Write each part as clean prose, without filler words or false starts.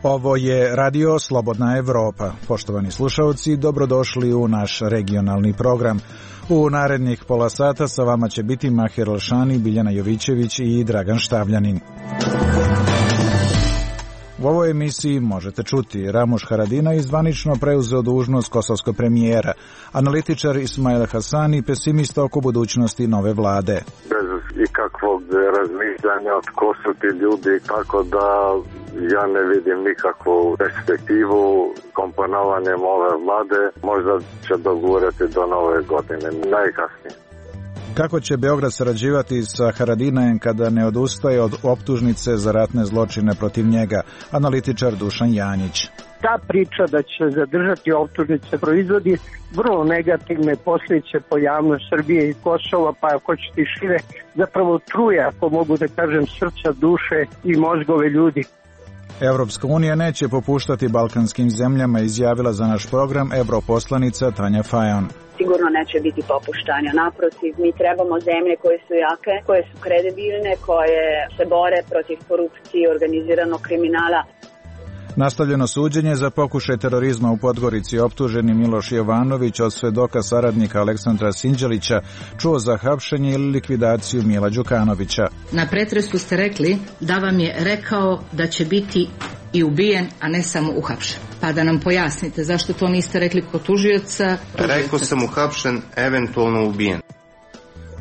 Ovo je Radio Slobodna Evropa. Poštovani slušalci, dobrodošli u naš regionalni program. U narednih pola sata sa vama će biti Mahir Alšani, Biljana Jovićević i Dragan Štavljanin. U ovoj emisiji možete čuti Ramuš Haradinaj zvanično preuzeo dužnost kosovskog premijera, analitičar Ismail Hasani pesimista oko budućnosti nove vlade. Bez ikakvog razmišljanja tko su ti ljudi, tako da ja ne vidim nikakvu perspektivu komponovanjem ove vlade. Možda će dogurati do nove godine, najkasnije. Kako će Beograd sarađivati sa Haradinajem kada ne odustaje od optužnice za ratne zločine protiv njega? Analitičar Dušan Janjić. Ta priča da će zadržati optužnice proizvodi vrlo negativne posljedice po javnost Srbije i Kosova, pa ako ćete i šire, zapravo truje, ako mogu da kažem, srca, duše i mozgove ljudi. Evropska unija neće popuštati balkanskim zemljama, izjavila za naš program europoslanica Tanja Fajon. Sigurno neće biti popuštanja. Naprotiv, mi trebamo zemlje koje su jake, koje su kredibilne, koje se bore protiv korupcije i organiziranog kriminala. Nastavljeno suđenje za pokušaj terorizma u Podgorici. Optuženi Miloš Jovanović od svedoka saradnika Aleksandra Sinđelića čuo za hapšenje ili likvidaciju Mila Đukanovića. Na pretresu ste rekli da vam je rekao da će biti i ubijen, a ne samo uhapšen. Pa da nam pojasnite zašto to niste rekli kod tužioca. Rekao sam uhapšen, eventualno ubijen.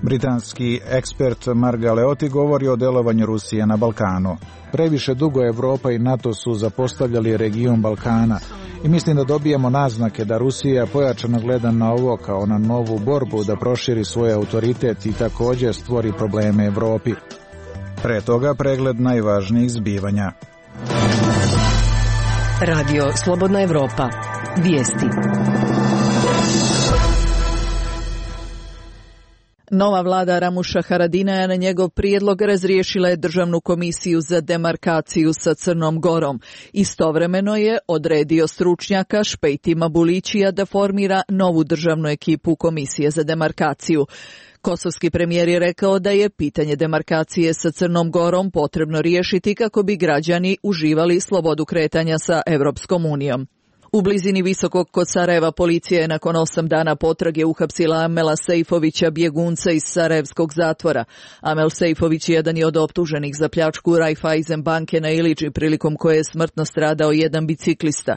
Britanski ekspert Marga Leoti govori o delovanju Rusije na Balkanu. Previše dugo Evropa i NATO su zapostavljali region Balkana i mislim da dobijamo naznake da Rusija pojačano gleda na ovo kao na novu borbu da proširi svoj autoritet i također stvori probleme Evropi. Pre toga pregled najvažnijih zbivanja. Radio Slobodna Evropa. Vijesti. Nova vlada Ramuša Haradinaja na njegov prijedlog razriješila je Državnu komisiju za demarkaciju sa Crnom Gorom. Istovremeno je odredio stručnjaka Špejtima Bulićija da formira novu državnu ekipu Komisije za demarkaciju. Kosovski premijer je rekao da je pitanje demarkacije sa Crnom Gorom potrebno riješiti kako bi građani uživali slobodu kretanja sa Evropskom unijom. U blizini Visokog kod Sarajeva policija je nakon 8 dana potrage uhapsila Amela Sejfovića, bjegunca iz sarajevskog zatvora. Amel Sejfović jedan je od optuženih za pljačku Raiffeisen banke na Iliči, prilikom koje je smrtno stradao jedan biciklista.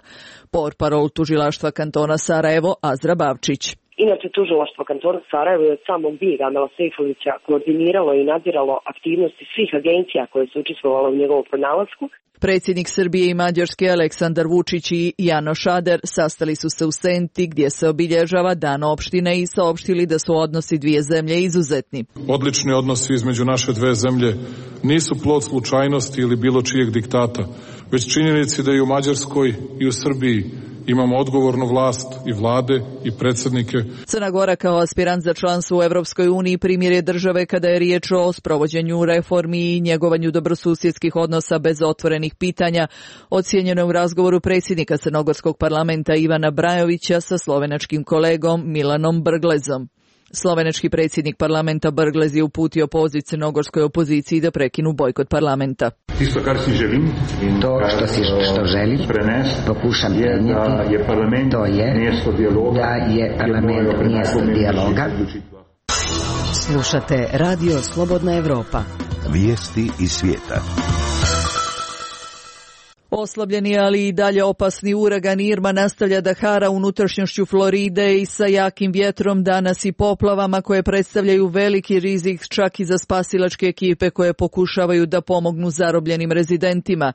Portparol tužilaštva kantona Sarajevo Azra Bavčić. Inače, tužilaštvo kantona Sarajevo je od samog bijega Amela Sejfovića koordiniralo i nadziralo aktivnosti svih agencija koje su učestvovale u njegovom pronalasku. Predsjednik Srbije i Mađarske Aleksandar Vučić i Jano Šader sastali su se u Senti gdje se obilježava Dan opštine i saopštili da su odnosi dvije zemlje izuzetni. Odlični odnosi između naše dve zemlje nisu plod slučajnosti ili bilo čijeg diktata, već činjenici da i u Mađarskoj i u Srbiji imamo odgovornu vlast i vlade i predsjednike. Crna Gora kao aspirant za članstvo u Evropskoj uniji primjer je države kada je riječ o sprovođenju reformi i njegovanju dobrosusjedskih odnosa bez otvorenih pitanja, ocijenjeno je u razgovoru predsjednika Crnogorskog parlamenta Ivana Brajovića sa slovenačkim kolegom Milanom Brglezom. Slovenački predsjednik parlamenta Brglez je uputio poziv crnogorskoj opoziciji da prekinu bojkot parlamenta. Isto kar si želim, to što želim, pokušam prenijeti, to je da je parlament mjesto dijaloga. Slušate Radio Slobodna Evropa. Vijesti iz svijeta. Oslabljeni, ali i dalje opasni uragan Irma nastavlja da hara unutrašnjošću Floride i sa jakim vjetrom, danas i poplavama koje predstavljaju veliki rizik čak i za spasilačke ekipe koje pokušavaju da pomognu zarobljenim rezidentima.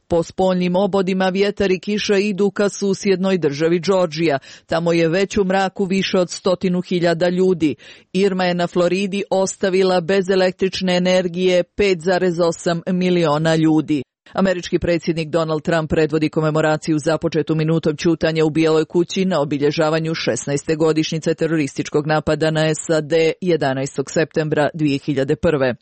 Po spoljnim obodima vjetar i kiša idu ka susjednoj državi Džordžija. Tamo je već u mraku više od 100.000 ljudi. Irma je na Floridi ostavila bez električne energije 5,8 miliona ljudi. Američki predsjednik Donald Trump predvodi komemoraciju započetu minutom ćutanja u Bijeloj kući na obilježavanju 16. godišnjice terorističkog napada na SAD 11. septembra 2001.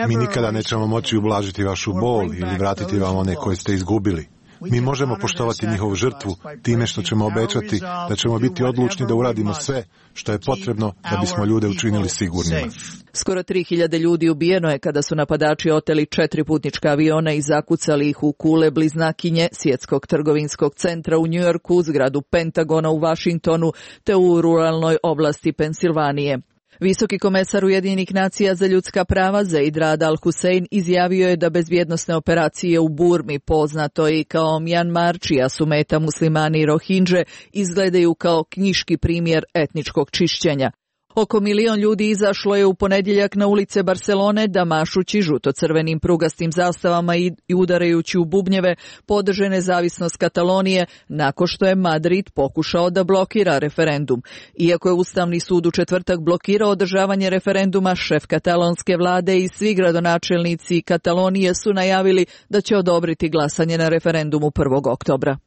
Mi nikada nećemo moći ublažiti vašu bol ili vratiti vam one koje ste izgubili. Mi možemo poštovati njihovu žrtvu time što ćemo obećati da ćemo biti odlučni da uradimo sve što je potrebno da bismo ljude učinili sigurnima. Skoro 3000 ljudi ubijeno je kada su napadači oteli 4 putnička aviona i zakucali ih u kule bliznakinje Svjetskog trgovinskog centra u Njujorku, zgradu Pentagona u Vašingtonu te u ruralnoj oblasti Pensilvanije. Visoki komesar Ujedinjenih nacija za ljudska prava Zeid Rad al-Hussein izjavio je da bezbjednosne operacije u Burmi, poznato i kao Mjanmar, čija su meta muslimani i Rohingje, izgledaju kao knjiški primjer etničkog čišćenja. Oko 1 milion ljudi izašlo je u ponedjeljak na ulice Barcelone da mašući žuto-crvenim prugastim zastavama i udarajući u bubnjeve podrže nezavisnost Katalonije nakon što je Madrid pokušao da blokira referendum. Iako je Ustavni sud u četvrtak blokirao održavanje referenduma, šef katalonske vlade i svi gradonačelnici Katalonije su najavili da će odobriti glasanje na referendumu 1. oktobra.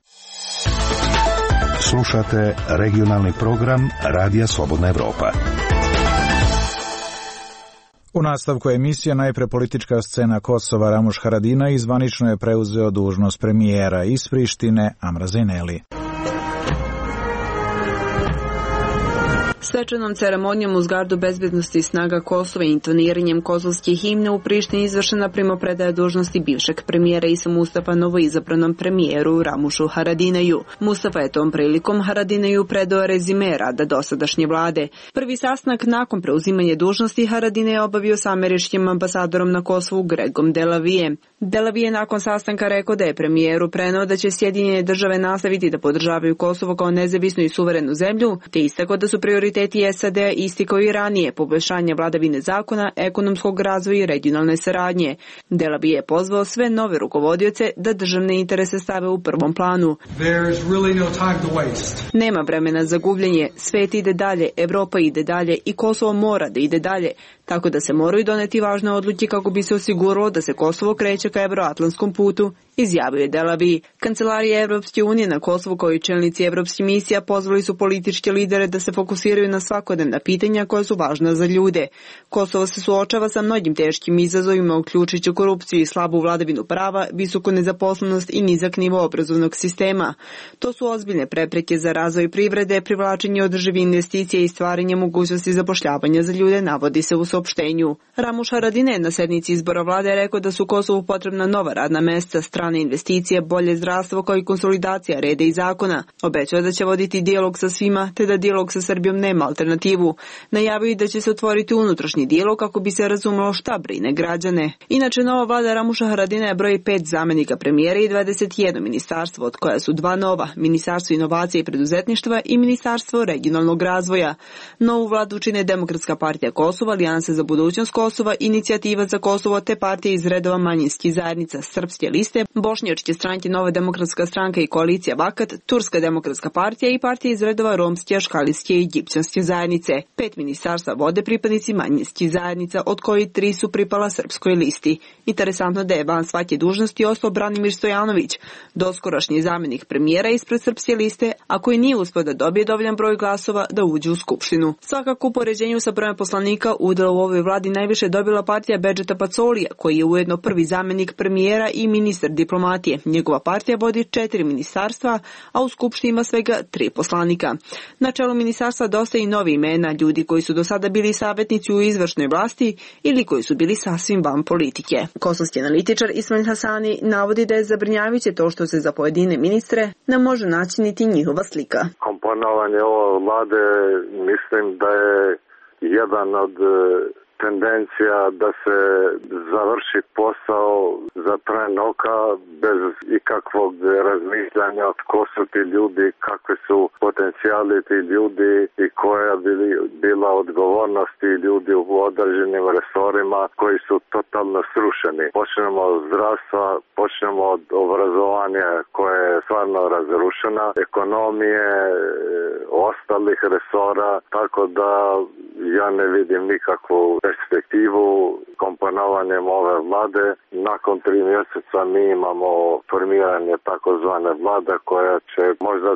Slušate regionalni program Radija Slobodna Evropa. U nastavku emisije najpre politička scena Kosova. Ramuš Haradinaj zvanično je preuzeo dužnost premijera iz Prištine Amra Zeneli. Svečanom ceremonijom uz gardu bezbednosti snaga Kosova i intoniranjem kosovske himne u Prištini izvršena primopredaja dužnosti bivšeg premijera Isa Mustafa novoizabranom premijeru Ramušu Haradinaju. Mustafa je tom prilikom Haradinaju predao rezime rada dosadašnje vlade. Prvi sastanak nakon preuzimanja dužnosti Haradinaj je obavio sa američkim ambasadorom na Kosovu Gregom Delavije. Delavije je nakon sastanka rekao da je premijeru preneo da će Sjedinjene države nastaviti da podržavaju Kosovo kao nezavisnu i suverenu zemlju, te istakao da su prioriteti SAD-a isti kao i ranije, poboljšanje vladavine zakona, ekonomskog razvoja i regionalne saradnje. Delavije je pozvao sve nove rukovodioce da državne interese stave u prvom planu. Nema vremena za gubljenje, svet ide dalje, Evropa ide dalje i Kosovo mora da ide dalje, tako da se moraju doneti važne odluke kako bi se osiguralo da se Kosovo kreće ka evroatlantskom putu, izjavio je Delavi. Kancelarija Evropske unije na Kosovu kao i čelnici evropskih misija pozvali su političke lidere da se fokusiraju na svakodnevna pitanja koja su važna za ljude. Kosovo se suočava sa mnogim teškim izazovima, uključujući korupciju i slabu vladavinu prava, visoku nezaposlenost i nizak nivo obrazovnog sistema. To su ozbiljne prepreke za razvoj privrede, privlačenje održivih investicija i stvaranje mogućnosti zapošljavanja za ljude, navodi se u saopštenju. Ramuš Haradinaj na sednici izbora vlade je rekao da su Kosovu potrebna nova radna mesta, strane investicije, bolje zdravstvo kao i konsolidacija reda i zakona. Obećao da će voditi dijalog sa svima, te da dijalog sa Srbijom nema alternativu. Najavio da će se otvoriti unutrašnji dijalog kako bi se razumelo šta brine građane. Inače, nova vlada Ramuša Haradinaja broji 5 zamenika premijera i 21 ministarstvo, od koja su 2 nova, Ministarstvo inovacije i preduzetništva i Ministarstvo regionalnog razvoja. Novu vladu čine Demokratska partija Kosova, Alijansa za budućnost Kosova, Inicijativa za Kosovo te partije iz redova manjinskih zajednica, Srpske liste, Bošnjačke stranke Nova demokratska stranka i koalicija Vakat, Turska demokratska partija i partija iz redova romske, aškalijske i egipćanske zajednice. 5 ministarstva vode pripadnici manjinskih zajednica, od kojih 3 su pripala Srpskoj listi. Interesantno da je van svake dužnosti ostao Branimir Stojanović, doskorašnji zamenik premijera ispred Srpske liste, a koji nije uspeo da dobije dovoljan broj glasova da uđe u Skupštinu. Svakako u poređenju sa brojem poslanika udjela u ovoj vladi najviše dobila partija Bedžeta Pacolija, koji je ujedno prvi zamenik premijera i ministar diplomatije. Njegova partija vodi 4 ministarstva, a u Skupštini ima svega 3 poslanika. Na čelu ministarstva dosta i novi imena, ljudi koji su do sada bili savjetnici u izvršnoj vlasti ili koji su bili sasvim van politike. Kosovski analitičar Ismail Hasani navodi da je zabrinjavajuće to što se za pojedine ministre ne može naći niti njihova slika. Komponovanje ove vlade mislim da je jedan od tendencija da se završi posao za tren oka bez ikakvog razmišljanja tko su ti ljudi, kakvi su potencijali ti ljudi i koja bi bila odgovornost ti ljudi u određenim resorima koji su totalno srušeni. Počnemo od zdravstva, počnemo od obrazovanja koje je stvarno razrušena, ekonomije, ostalih resora, tako da ja ne vidim nikakvu perspektivu komponovanjem ove vlade. Nakon 3 mjeseca mi imamo formiranje takozvane vlade koja će možda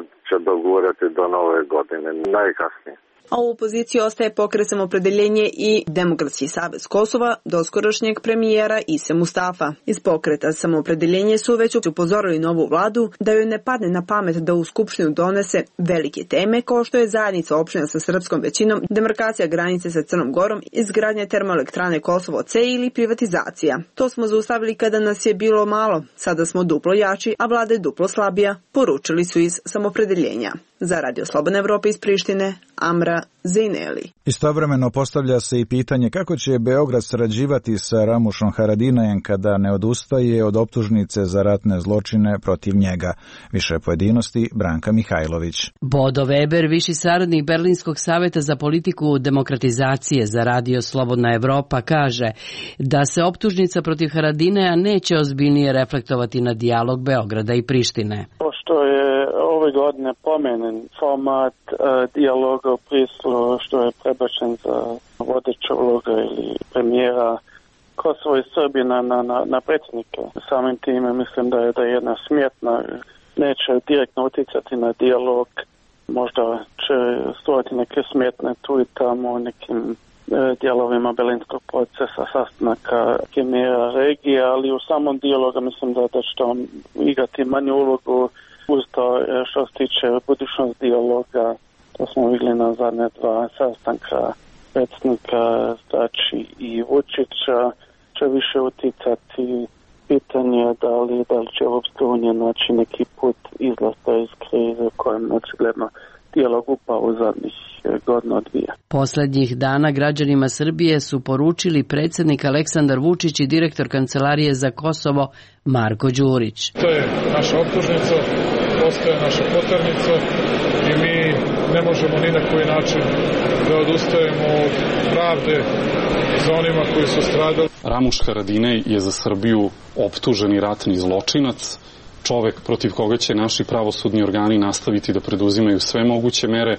dogurati do nove godine, najkasnije. A u opoziciji ostaje Pokret Samoopredeljenje i Demokratski savez Kosova doskorašnjeg premijera Ise Mustafa. Iz Pokreta Samoopredeljenje su već upozorili novu vladu da joj ne padne na pamet da u Skupštinu donese velike teme kao što je zajednica opština sa srpskom većinom, demarkacija granice sa Crnom Gorom, izgradnja termoelektrane Kosovo C ili privatizacija. To smo zaustavili kada nas je bilo malo, sada smo duplo jači, a vlada je duplo slabija, poručili su iz Samoopredeljenja. Za Radio Slobodna Evropa iz Prištine, Amra Zejneli. Istovremeno postavlja se i pitanje kako će Beograd sarađivati sa Ramušom Haradinajem kada ne odustaje od optužnice za ratne zločine protiv njega. Više pojedinosti Branka Mihajlović. Bodo Weber, viši saradnik Berlinskog saveta za politiku demokratizacije za Radio Slobodna Evropa, kaže da se optužnica protiv Haradinaja neće ozbiljnije reflektovati na dijalog Beograda i Prištine. Pošto je ove godine pomenjen format dijaloga u Prislu, što je prebačen za vodeća uloga ili premijera Kosovo i Srbije na predsjednike. Samim time mislim da je jedna smjetna, neće direktno utjecati na dijalog, možda će stvoriti neke smjetne tu i tamo nekim dijelovima Berlinskog procesa, sastanaka premijera regije, ali u samom dijalogu mislim da će on igrati manju ulogu. Uz to što se tiče budućnost dijaloga, to smo vidjeli na zadnje dva sastanka predsjednika Dačića i Vučića, će više utjecati pitanje da li će Europska unija naći neki put izlaska iz krize u kojem očigledno dijalog upao u zadnjih godina dvije. Poslednjih dana građanima Srbije su poručili predsjednik Aleksandar Vučić i direktor Kancelarije za Kosovo Marko Đurić. To je naša optužnica, postaje naša poternica i mi ne možemo ni na koji način da odustajemo od pravde za onima koji su stradali. Ramuš Haradinaj je za Srbiju optuženi ratni zločinac, čovek protiv koga će naši pravosudni organi nastaviti da preduzimaju sve moguće mere.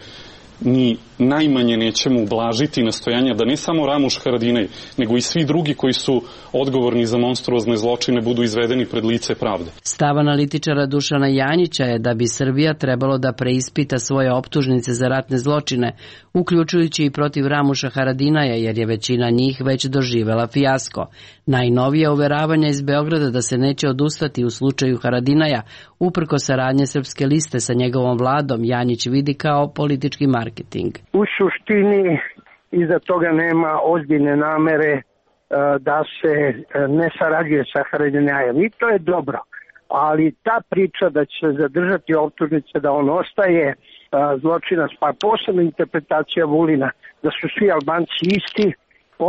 Ni najmanje nećemo ublažiti nastojanja da ne samo Ramuš Haradinaj, nego i svi drugi koji su odgovorni za monstruozne zločine budu izvedeni pred lice pravde. Stav analitičara Dušana Janjića je da bi Srbija trebalo da preispita svoje optužnice za ratne zločine, uključujući i protiv Ramuša Haradinaja, jer je većina njih već doživela fijasko. Najnovije uveravanja iz Beograda da se neće odustati u slučaju Haradinaja, uprko saradnje Srpske liste sa njegovom vladom, Janjić vidi kao politički marketing. U suštini iza toga nema ozbiljne namere da se ne sarađuje sa Haradinajem i to je dobro, ali ta priča da će zadržati optužnice da on ostaje zločinac, pa posebna interpretacija Vulina da su svi Albanci isti,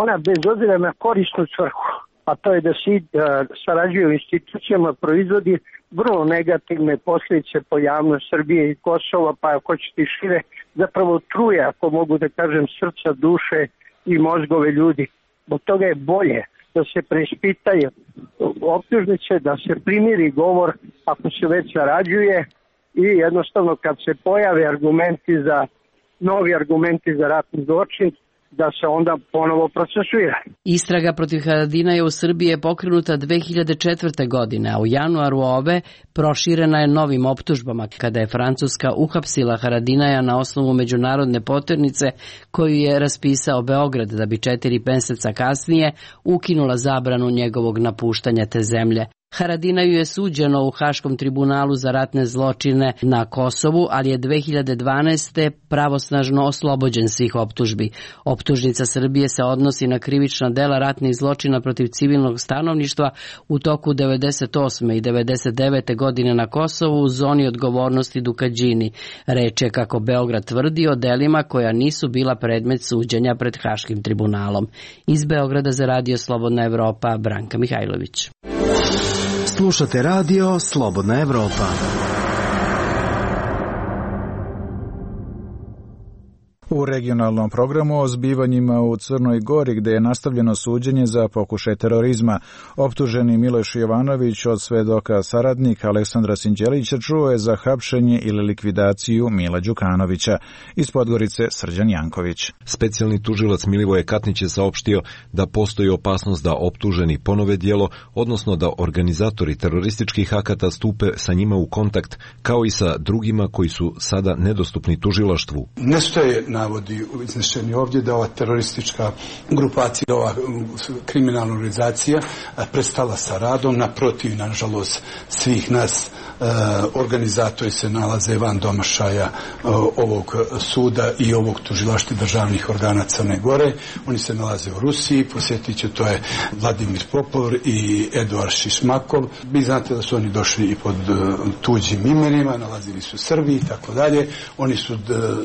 ona bez obzira na korisnu svrhu, a to je da se sarađuje u institucijama, proizvodi vrlo negativne posljedice po javnost Srbije i Kosova, pa ako ćete i šire, zapravo truje, ako mogu da kažem, srca, duše i mozgove ljudi. Zbog toga je bolje da se preispitaju optužnice, da se primiri govor ako se već sarađuje i jednostavno kad se pojave novi argumenti za ratni zločin, da se onda ponovo procesuira. Istraga protiv Haradinaja u Srbiji je pokrenuta 2004. godine, a u januaru ove proširena je novim optužbama kada je Francuska uhapsila Haradinaja na osnovu međunarodne poternice koju je raspisao Beograd da bi 4 meseca kasnije ukinula zabranu njegovog napuštanja te zemlje. Haradinaju je suđeno u Haškom tribunalu za ratne zločine na Kosovu, ali je 2012. pravosnažno oslobođen svih optužbi. Optužnica Srbije se odnosi na krivična dela ratnih zločina protiv civilnog stanovništva u toku 98. i 99. godine na Kosovu u zoni odgovornosti Dukadžini. Reč je, kako Beograd tvrdi, o delima koja nisu bila predmet suđenja pred Haškim tribunalom. Iz Beograda za Radio Slobodna Evropa, Branka Mihajlović. Slušate Radio Slobodna Evropa. U regionalnom programu o zbivanjima u Crnoj Gori, gde je nastavljeno suđenje za pokušaj terorizma, optuženi Miloš Jovanović od svedoka saradnika Aleksandra Sinđelića čuo je za hapšenje ili likvidaciju Mila Đukanovića. Iz Podgorice Srđan Janković. Specijalni tužilac Milivoje Katnić je saopštio da postoji opasnost da optuženi ponove djelo, odnosno da organizatori terorističkih akata stupe sa njima u kontakt, kao i sa drugima koji su sada nedostupni tužilaštvu. Ne stoje na navodi iznešeni ovdje da ova teroristička grupacija, ova kriminalna organizacija prestala sa radom, naprotiv, nažalost, svih nas organizatori se nalaze van domašaja ovog suda i ovog tužilaštva državnih organa Crne Gore. Oni se nalaze u Rusiji, posjetit ću, to je Vladimir Popov i Eduard Šišmakov. Vi znate da su oni došli i pod tuđim imenima, nalazili su u Srbiji i tako dalje. Oni su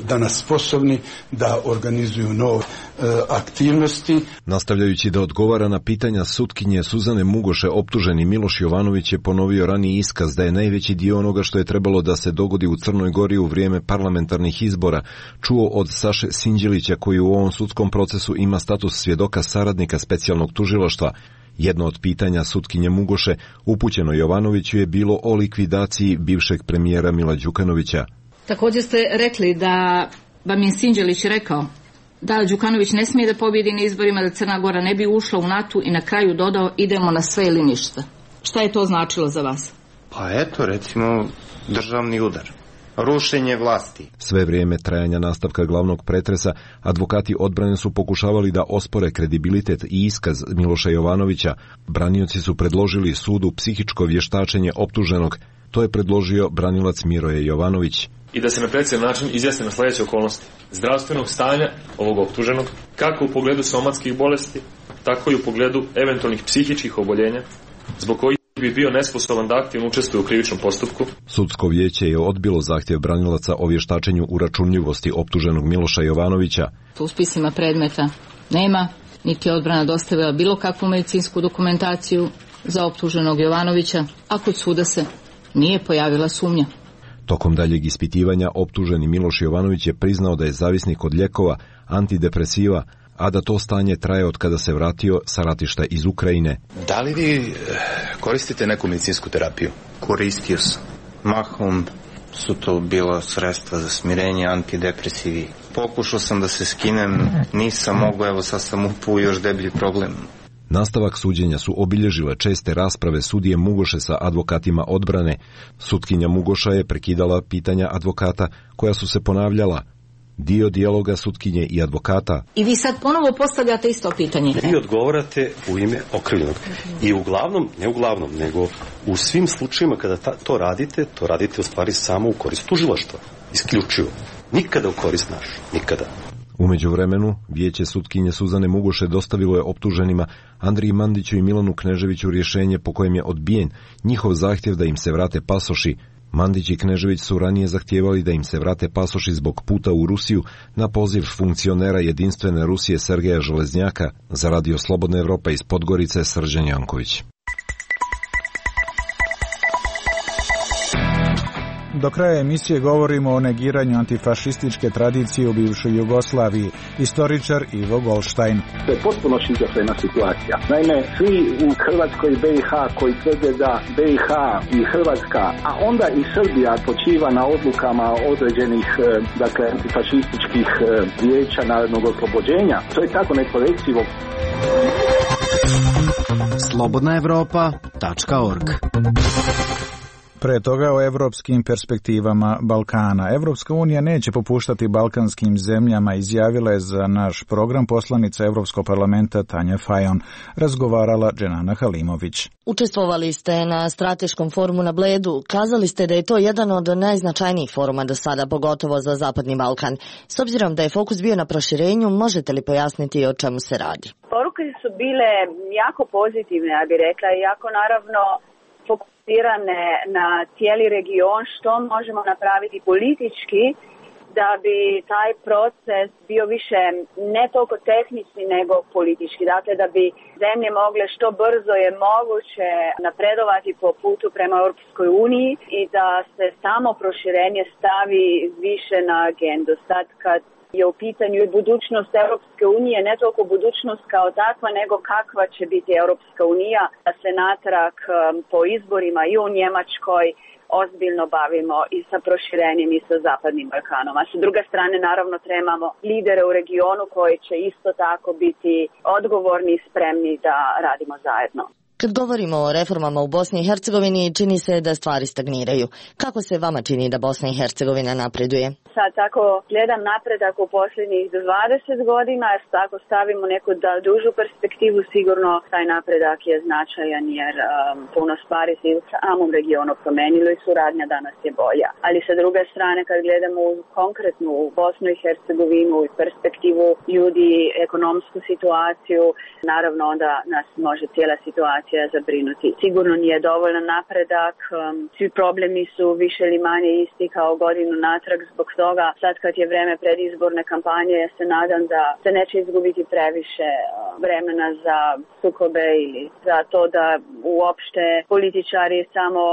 danas sposobni da organizuju nove aktivnosti. Nastavljajući da odgovara na pitanja sutkinje Suzane Mugoše, optuženi Miloš Jovanović je ponovio raniji iskaz da je najveći dio onoga što je trebalo da se dogodi u Crnoj Gori u vrijeme parlamentarnih izbora čuo od Saše Sinđelića, koji u ovom sudskom procesu ima status svjedoka saradnika specijalnog tužilaštva. Jedno od pitanja sutkinje Mugoše upućeno Jovanoviću je bilo o likvidaciji bivšeg premijera Mila Đukanovića. Također ste rekli da vam je Sinđelić rekao da Đukanović ne smije da pobjedi na izborima, da Crna Gora ne bi ušla u NATO i na kraju dodao idemo na sve ili ništa. Šta je to značilo za vas? Pa eto, recimo, državni udar. Rušenje vlasti. Sve vrijeme trajanja nastavka glavnog pretresa, advokati odbrane su pokušavali da ospore kredibilitet i iskaz Miloša Jovanovića. Branioci su predložili sudu psihičko vještačenje optuženog. To je predložio branilac Miroje Jovanović. I da se na precizan način izjasne na sljedeće okolnosti zdravstvenog stanja ovog optuženog, kako u pogledu somatskih bolesti, tako i u pogledu eventualnih psihičkih oboljenja, zbog kojih bi bio nesposoban da aktivno učestvuje u krivičnom postupku. Sudsko vijeće je odbilo zahtjev branilaca o vještačenju uračunljivosti optuženog Miloša Jovanovića. U spisima predmeta nema, niti je odbrana dostavila bilo kakvu medicinsku dokumentaciju za optuženog Jovanovića, a kod suda se nije pojavila sumnja. Tokom daljeg ispitivanja optuženi Miloš Jovanović je priznao da je zavisnik od lijekova, antidepresiva, a da to stanje traje od kada se vratio sa ratišta iz Ukrajine. Da li vi koristite neku medicinsku terapiju? Koristio sam. Mahom su to bila sredstva za smirenje, antidepresivi. Pokušao sam da se skinem, nisam mogao, evo sad sam upao još deblji problem. Nastavak suđenja su obilježile česte rasprave sudije Mugoše sa advokatima odbrane. Sutkinja Mugoša je prekidala pitanja advokata koja su se ponavljala. Dio dijaloga sutkinje i advokata. I vi sad ponovo postavljate isto pitanje. Vi odgovarate u ime okrivljenog. I uglavnom, ne uglavnom, nego u svim slučajima kada to radite u stvari samo u korist tužilaštva. Isključivo. Nikada u korist našu. Nikada. U međuvremenu, vijeće sutkinje Suzane Mugoše dostavilo je optuženima Andriji Mandiću i Milanu Kneževiću rješenje po kojem je odbijen njihov zahtjev da im se vrate pasoši. Mandić i Knežević su ranije zahtijevali da im se vrate pasoši zbog puta u Rusiju na poziv funkcionera Jedinstvene Rusije Sergeja Železnjaka. Za Radio Slobodna Evropa iz Podgorice, Srđan Janković. Do kraja emisije govorimo o negiranju antifašističke tradicije u bivšoj Jugoslaviji. Istoričar Ivo Goldstein. To je potpuno šizofrena situacija. Naime, svi u Hrvatskoj i BiH koji tvrde da BiH i Hrvatska, a onda i Srbija počiva na odlukama određenih, antifašističkih vijeća narodnog oslobođenja, to je tako nekorektivo. slobodnaevropa.org. Pre toga o evropskim perspektivama Balkana. Evropska unija neće popuštati balkanskim zemljama, izjavila je za naš program poslanica Evropskog parlamenta Tanja Fajon. Razgovarala Dženana Halimović. Učestvovali ste na strateškom forumu na Bledu. Kazali ste da je to jedan od najznačajnijih foruma do sada, pogotovo za Zapadni Balkan. S obzirom da je fokus bio na proširenju, možete li pojasniti o čemu se radi? Poruke su bile jako pozitivne, ja bih rekla, i jako naravno fokusirane na cijeli region, što možemo napraviti politički da bi taj proces bio više ne toliko tehnički nego politički. Dakle, da bi zemlje mogle što brzo je moguće napredovati po putu prema Europskoj uniji i da se samo proširenje stavi više na agendu. Sad kad je u pitanju budućnost Europske unije, ne toliko budućnost kao takva, nego kakva će biti Europska unija, da se natrag po izborima i u Njemačkoj ozbiljno bavimo i sa proširenjem i sa Zapadnim Balkanom. A sa druge strane, naravno, trebamo lidere u regionu koji će isto tako biti odgovorni i spremni da radimo zajedno. Kad govorimo o reformama u Bosni i Hercegovini, čini se da stvari stagniraju. Kako se vama čini da Bosna i Hercegovina napreduje? Sad tako gledam napredak u posljednjih 20 godina, jer tako stavimo neku dužu perspektivu, sigurno taj napredak je značajan jer puno stvari se u samom regionu promenilo i suradnja danas je bolja. Ali sa druge strane kad gledamo konkretnu u Bosnu i Hercegovinu i perspektivu ljudi, ekonomsku situaciju, naravno onda nas može cijela situacija zabrinuti. Sigurno nije dovoljan napredak, svi problemi su više ili manje isti kao godinu natrag, zbog toga sad kad je vreme predizborne kampanje ja se nadam da se neće izgubiti previše vremena za sukobe ili za to da uopšte političari samo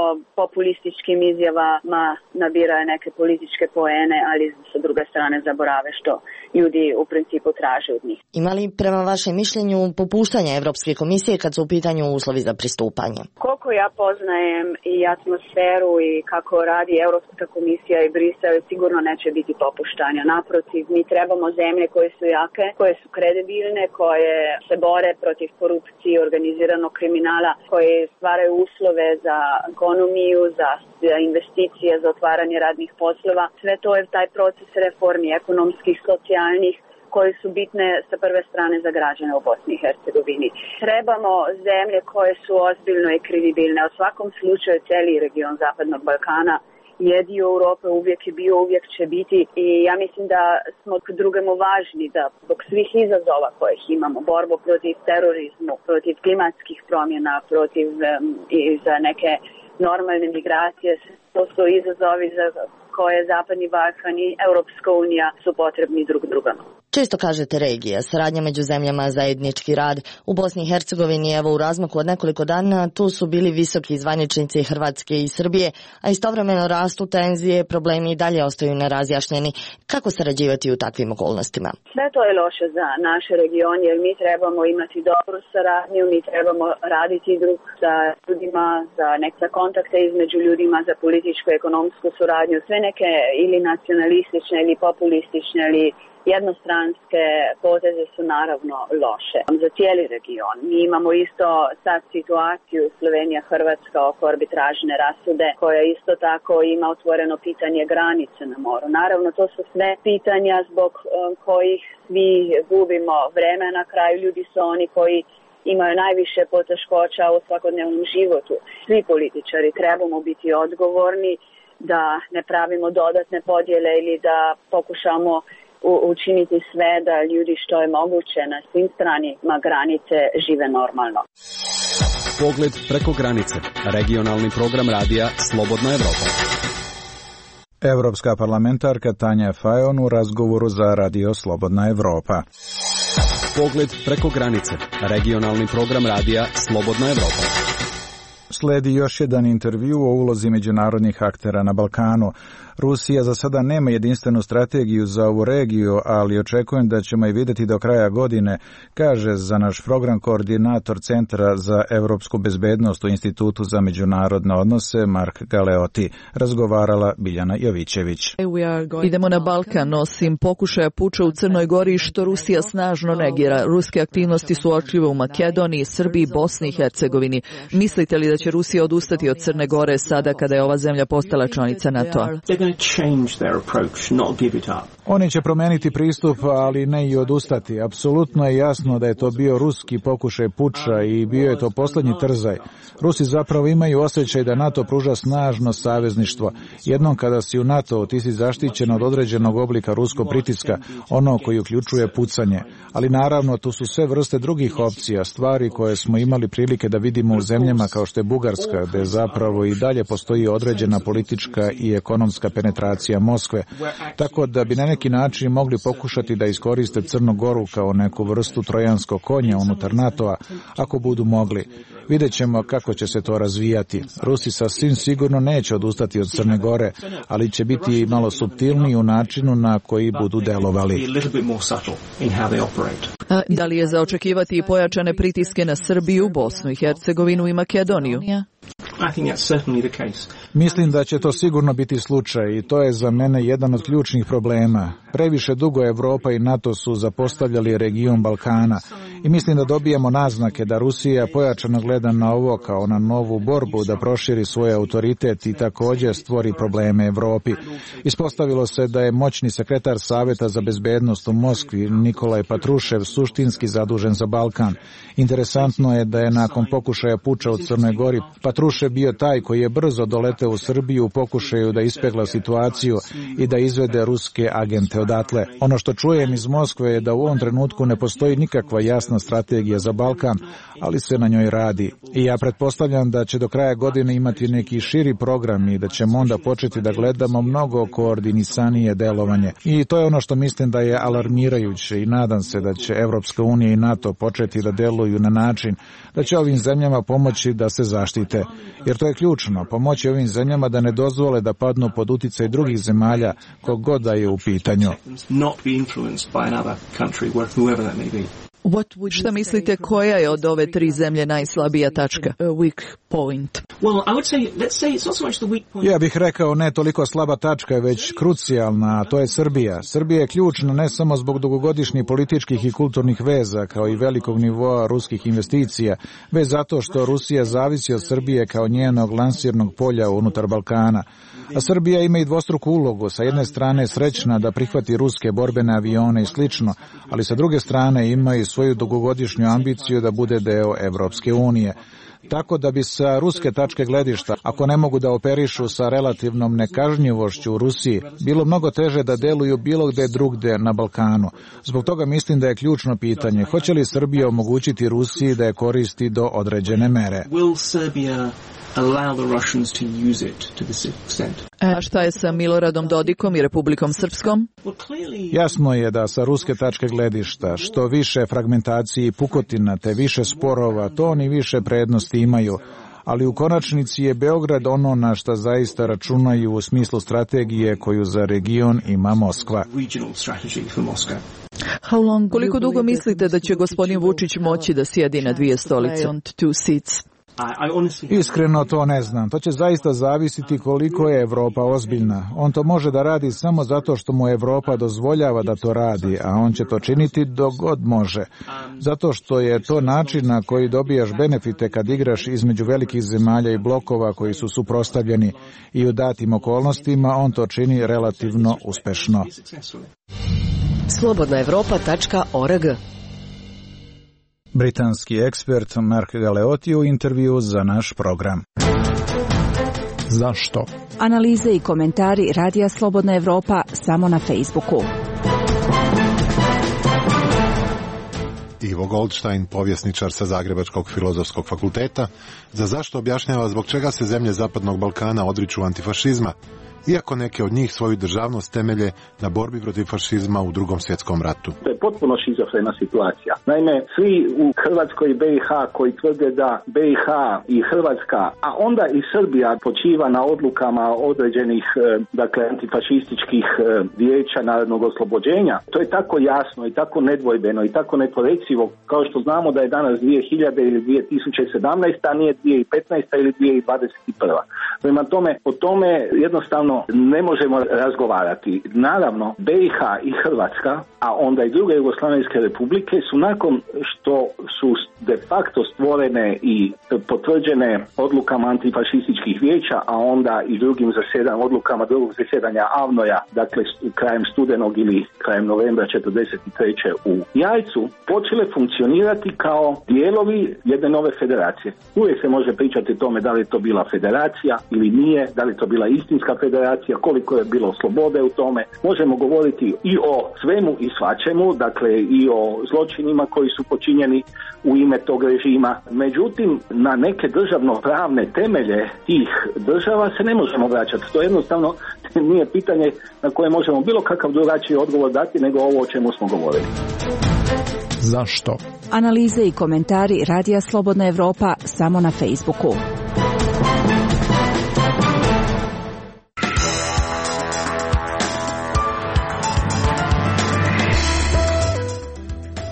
populističkim izjavama nabiraju neke političke poene, ali sa druge strane zaborave što ljudi u principu traže od njih. Ima li prema vašem mišljenju popuštanja Evropske komisije kad su u pitanju uslovi za pristupanje? Koliko ja poznajem i atmosferu i kako radi Evropska komisija i Brisel, sigurno neće biti popuštanja. Naprotiv, mi trebamo zemlje koje su jake, koje su kredibilne, koje se bore protiv korupcije i organiziranog kriminala, koje stvaraju uslove za ekonomiju, za investicije, za otvaranje radnih poslova. Sve to je taj proces reformi ekonomskih, socijalnih, koje su bitne sa prve strane za građane u Bosni i Hercegovini. Trebamo zemlje koje su ozbiljno i kredibilne. U svakom slučaju cijeli region Zapadnog Balkana je dio Europe, uvijek je bio, uvijek će biti i ja mislim da smo drugemu važni da zbog svih izazova kojih imamo, borbu protiv terorizmu, protiv klimatskih promjena, protiv i za neke normalne migracije, to su izazovi za koje Zapadni Balkan i Europska unija su potrebni drug drugama. Često kažete regija, saradnja među zemljama, zajednički rad. U Bosni i Hercegovini, evo u razmaku od nekoliko dana, tu su bili visoki zvaničnici Hrvatske i Srbije, a istovremeno rastu tenzije, problemi i dalje ostaju nerazjašnjeni. Kako sarađivati u takvim okolnostima? Sve to je loše za naš region, jer mi trebamo imati dobru saradnju, mi trebamo raditi drug sa ljudima, za neke kontakte između ljudima, za političku i ekonomsku suradnju, sve neke ili nacionalistične ili populistične ili jednostranske poteze su naravno loše za cijeli region. Mi imamo isto sad situaciju Slovenija, Hrvatska oko arbitražne rasude koja isto tako ima otvoreno pitanje granice na moru. Naravno to su sve pitanja zbog kojih svi gubimo vreme, na kraju ljudi su oni koji imaju najviše poteškoća u svakodnevnom životu. Svi političari trebamo biti odgovorni da ne pravimo dodatne podjele ili da pokušamo učiniti sve da ljudi što je moguće na svim stranima granice žive normalno. Pogled preko granice. Regionalni program radija Slobodna Evropa. Evropska parlamentarka Tanja Fajon u razgovoru za radio Slobodna Evropa. Pogled preko granice. Regionalni program radija Slobodna Evropa. Sledi još jedan intervju o ulozi međunarodnih aktera na Balkanu. Rusija za sada nema jedinstvenu strategiju za ovu regiju, ali očekujem da ćemo je vidjeti do kraja godine, kaže za naš program koordinator Centra za evropsku bezbednost u Institutu za međunarodne odnose Mark Galeoti. Razgovarala Biljana Jovićević. Idemo na Balkan, osim pokušaja puča u Crnoj Gori što Rusija snažno negira. Ruske aktivnosti su očljive u Makedoniji, Srbiji, Bosni i Hercegovini. Mislite li da će Rusija odustati od Crne Gore sada kada je ova zemlja postala članica NATO-a? Oni će promijeniti pristup, ali ne i odustati. Apsolutno je jasno da je to bio ruski pokušaj puča i bio je to posljednji trzaj. Rusi zapravo imaju osjećaj da NATO pruža snažno savezništvo. Jednom kada si u NATO, ti si zaštićen od određenog oblika ruskog pritiska, ono koji uključuje pucanje. Ali naravno, tu su sve vrste drugih opcija, stvari koje smo imali prilike da vidimo u zemljama kao što je Bugarska, gde zapravo i dalje postoji određena politička i ekonomska penetracija Moskve, tako da bi na neki način mogli pokušati da iskoriste Crnu Goru kao neku vrstu trojanskog konja unutar NATO-a, ako budu mogli. Vidjet ćemo kako će se to razvijati. Rusi sasvim sigurno neće odustati od Crne Gore, ali će biti malo suptilniji u načinu na koji budu delovali. Da li je za očekivati i pojačane pritiske na Srbiju, Bosnu i Hercegovinu i Makedoniju? Mislim da će to sigurno biti slučaj i to je za mene jedan od ključnih problema. Previše dugo Evropa i NATO su zapostavljali region Balkana i mislim da dobijamo naznake da Rusija pojačano gleda na ovo kao na novu borbu da proširi svoj autoritet i također stvori probleme Evropi. Ispostavilo se da je moćni sekretar Saveta za bezbednost u Moskvi, Nikolaj Patrušev, suštinski zadužen za Balkan. Interesantno je da je nakon pokušaja puča u Crnoj Gori Patrušev bio taj koji je brzo doleteo u Srbiju u pokušaju da ispegla situaciju i da izvede ruske agente odatle. Ono što čujem iz Moskve je da u ovom trenutku ne postoji nikakva jasna strategija za Balkan, ali se na njoj radi. I ja pretpostavljam da će do kraja godine imati neki širi program i da ćemo onda početi da gledamo mnogo koordinisanije delovanje. I to je ono što mislim da je alarmirajuće i nadam se da će Evropska unija i NATO početi da deluju na način da će ovim zemljama pomoći da se zaštite. Jer to je ključno, pomoći ovim zemljama da ne dozvole da padnu pod uticaj drugih zemalja kog god da je u pitanju. Šta mislite, koja je od ove tri zemlje najslabija tačka? Weak point. Ja bih rekao ne toliko slaba tačka, već krucijalna, a to je Srbija. Srbija je ključna ne samo zbog dugogodišnjih političkih i kulturnih veza, kao i velikog nivoa ruskih investicija, već zato što Rusija zavisi od Srbije kao njenog lansirnog polja unutar Balkana. A Srbija ima i dvostruku ulogu, sa jedne strane srećna da prihvati ruske borbene avione i slično, ali sa druge strane ima i svoju dugogodišnju ambiciju da bude deo Evropske unije. Tako da bi sa ruske tačke gledišta, ako ne mogu da operišu sa relativnom nekažnjivošću u Rusiji, bilo mnogo teže da deluju bilo gde drugde na Balkanu. Zbog toga mislim da je ključno pitanje, hoće li Srbija omogućiti Rusiji da je koristi do određene mere? A šta je sa Miloradom Dodikom i Republikom Srpskom? Jasno je da sa ruske tačke gledišta što više fragmentacije i pukotina te više sporova, to oni više prednosti imaju, ali u konačnici je Beograd ono na šta zaista računaju u smislu strategije koju za region ima Moskva. Koliko dugo mislite da će gospodin Vučić moći da sjedi na dvije stolice? Iskreno to ne znam. To će zaista zavisiti koliko je Evropa ozbiljna. On to može da radi samo zato što mu Evropa dozvoljava da to radi, a on će to činiti dok god može. Zato što je to način na koji dobijaš benefite kad igraš između velikih zemalja i blokova koji su suprotstavljeni i u datim okolnostima on to čini relativno uspešno. Slobodnaevropa.org. Britanski ekspert Mark Galeotti u intervju za naš program. Zašto? Analize i komentari Radija Slobodna Evropa samo na Facebooku. Ivo Goldstein, povjesničar sa Zagrebačkog filozofskog fakulteta, za zašto objašnjava zbog čega se zemlje Zapadnog Balkana odriču antifašizma, iako neke od njih svoju državnost temelje na borbi protiv fašizma u Drugom svjetskom ratu. To je potpuno šizofrena situacija. Naime, svi u Hrvatskoj i BiH koji tvrde da BiH i Hrvatska, a onda i Srbija počiva na odlukama određenih, antifašističkih vijeća narodnog oslobođenja, to je tako jasno i tako nedvojbeno i tako neporecivo, kao što znamo da je danas 2000 ili 2017, a nije 2015 ili 2021. Prema tome, o tome jednostavno ne možemo razgovarati. Naravno, BiH i Hrvatska, a onda i druge jugoslavenske republike su nakon što su de facto stvorene i potvrđene odlukama antifašističkih vijeća, a onda i drugim odlukama drugog zasjedanja AVNOJ-a, dakle krajem studenog ili krajem novembra 1943. u Jajcu, počele funkcionirati kao dijelovi jedne nove federacije. Uvijek se može pričati o tome da li je to bila federacija ili nije, da li je to bila istinska federacija, koliko je bilo slobode u tome. Možemo govoriti i o svemu i svačemu, dakle i o zločinima koji su počinjeni u ime tog režima. Međutim, na neke državno-pravne temelje tih država se ne možemo vraćati. To jednostavno nije pitanje na koje možemo bilo kakav drugačiji odgovor dati nego ovo o čemu smo govorili. Zašto? Analize i komentari Radija Slobodna Evropa samo na Facebooku.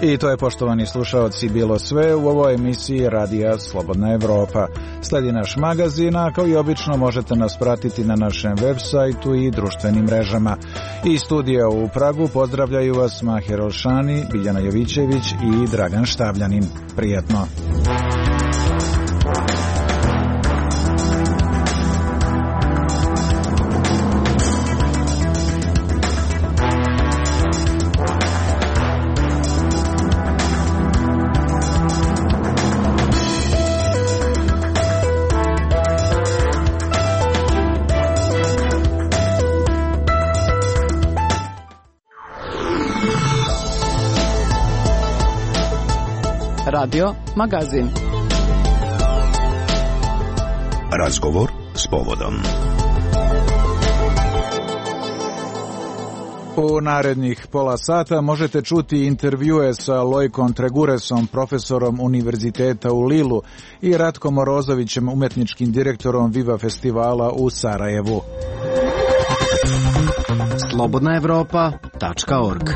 I to je, poštovani slušaoci, bilo sve u ovoj emisiji Radija Slobodna Evropa. Sledi naš magazin, a kao i obično možete nas pratiti na našem web sajtu i društvenim mrežama. Iz studija u Pragu pozdravljaju vas Maher Olšani, Biljana Jovićević i Dragan Štavljanin. Prijetno! Radio Magazin. Razgovor s povodom. U narednih pola sata možete čuti intervjue sa Lojkom Treguresom, profesorom Univerziteta u Lilu, i Ratkom Morozovićem, umetničkim direktorom Viva festivala u Sarajevu. slobodnaevropa.org.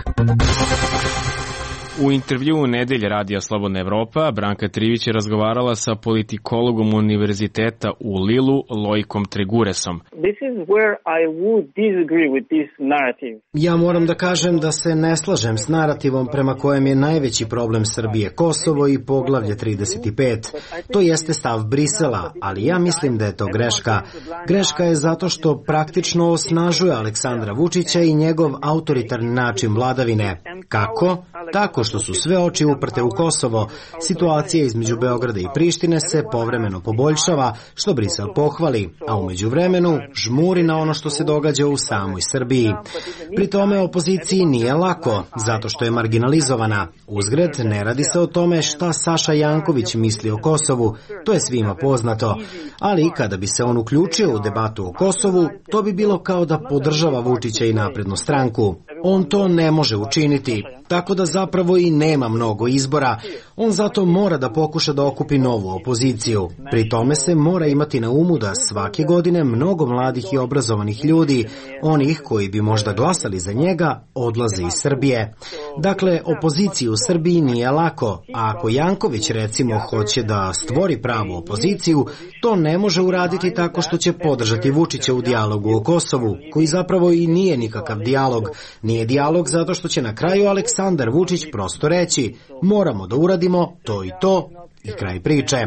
U intervjuu Nedelje Radija Slobodna Evropa, Branka Trivić je razgovarala sa politikologom Univerziteta u Lilu, Lojkom Treguresom. Ja moram da kažem da se ne slažem s narativom prema kojem je najveći problem Srbije Kosovo i poglavlje 35. To jeste stav Brisela, ali ja mislim da je to greška. Greška je zato što praktično osnažuje Aleksandra Vučića i njegov autoritarni način vladavine. Kako? Tako što su sve oči uprte u Kosovo. Situacija između Beograda i Prištine se povremeno poboljšava, što Brisel pohvali, a umeđu vremenu žmuri na ono što se događa u samoj Srbiji. Pri tome opoziciji nije lako, zato što je marginalizovana. Uzgred, ne radi se o tome šta Saša Janković misli o Kosovu, to je svima poznato. Ali kada bi se on uključio u debatu o Kosovu, to bi bilo kao da podržava Vučića i Naprednu stranku. On to ne može učiniti, tako da zapravo i nema mnogo izbora. On zato mora da pokuša da okupi novu opoziciju. Pri tome se mora imati na umu da svake godine mnogo mladih i obrazovanih ljudi, onih koji bi možda glasali za njega, odlaze iz Srbije. Dakle, opoziciji u Srbiji nije lako, a ako Janković recimo hoće da stvori pravu opoziciju, to ne može uraditi tako što će podržati Vučića u dijalogu o Kosovu, koji zapravo i nije nikakav dijalog. Nije dijalog zato što će na kraju Aleksandar Vučić prosto reći: moramo da uradimo to i to, i kraj priče.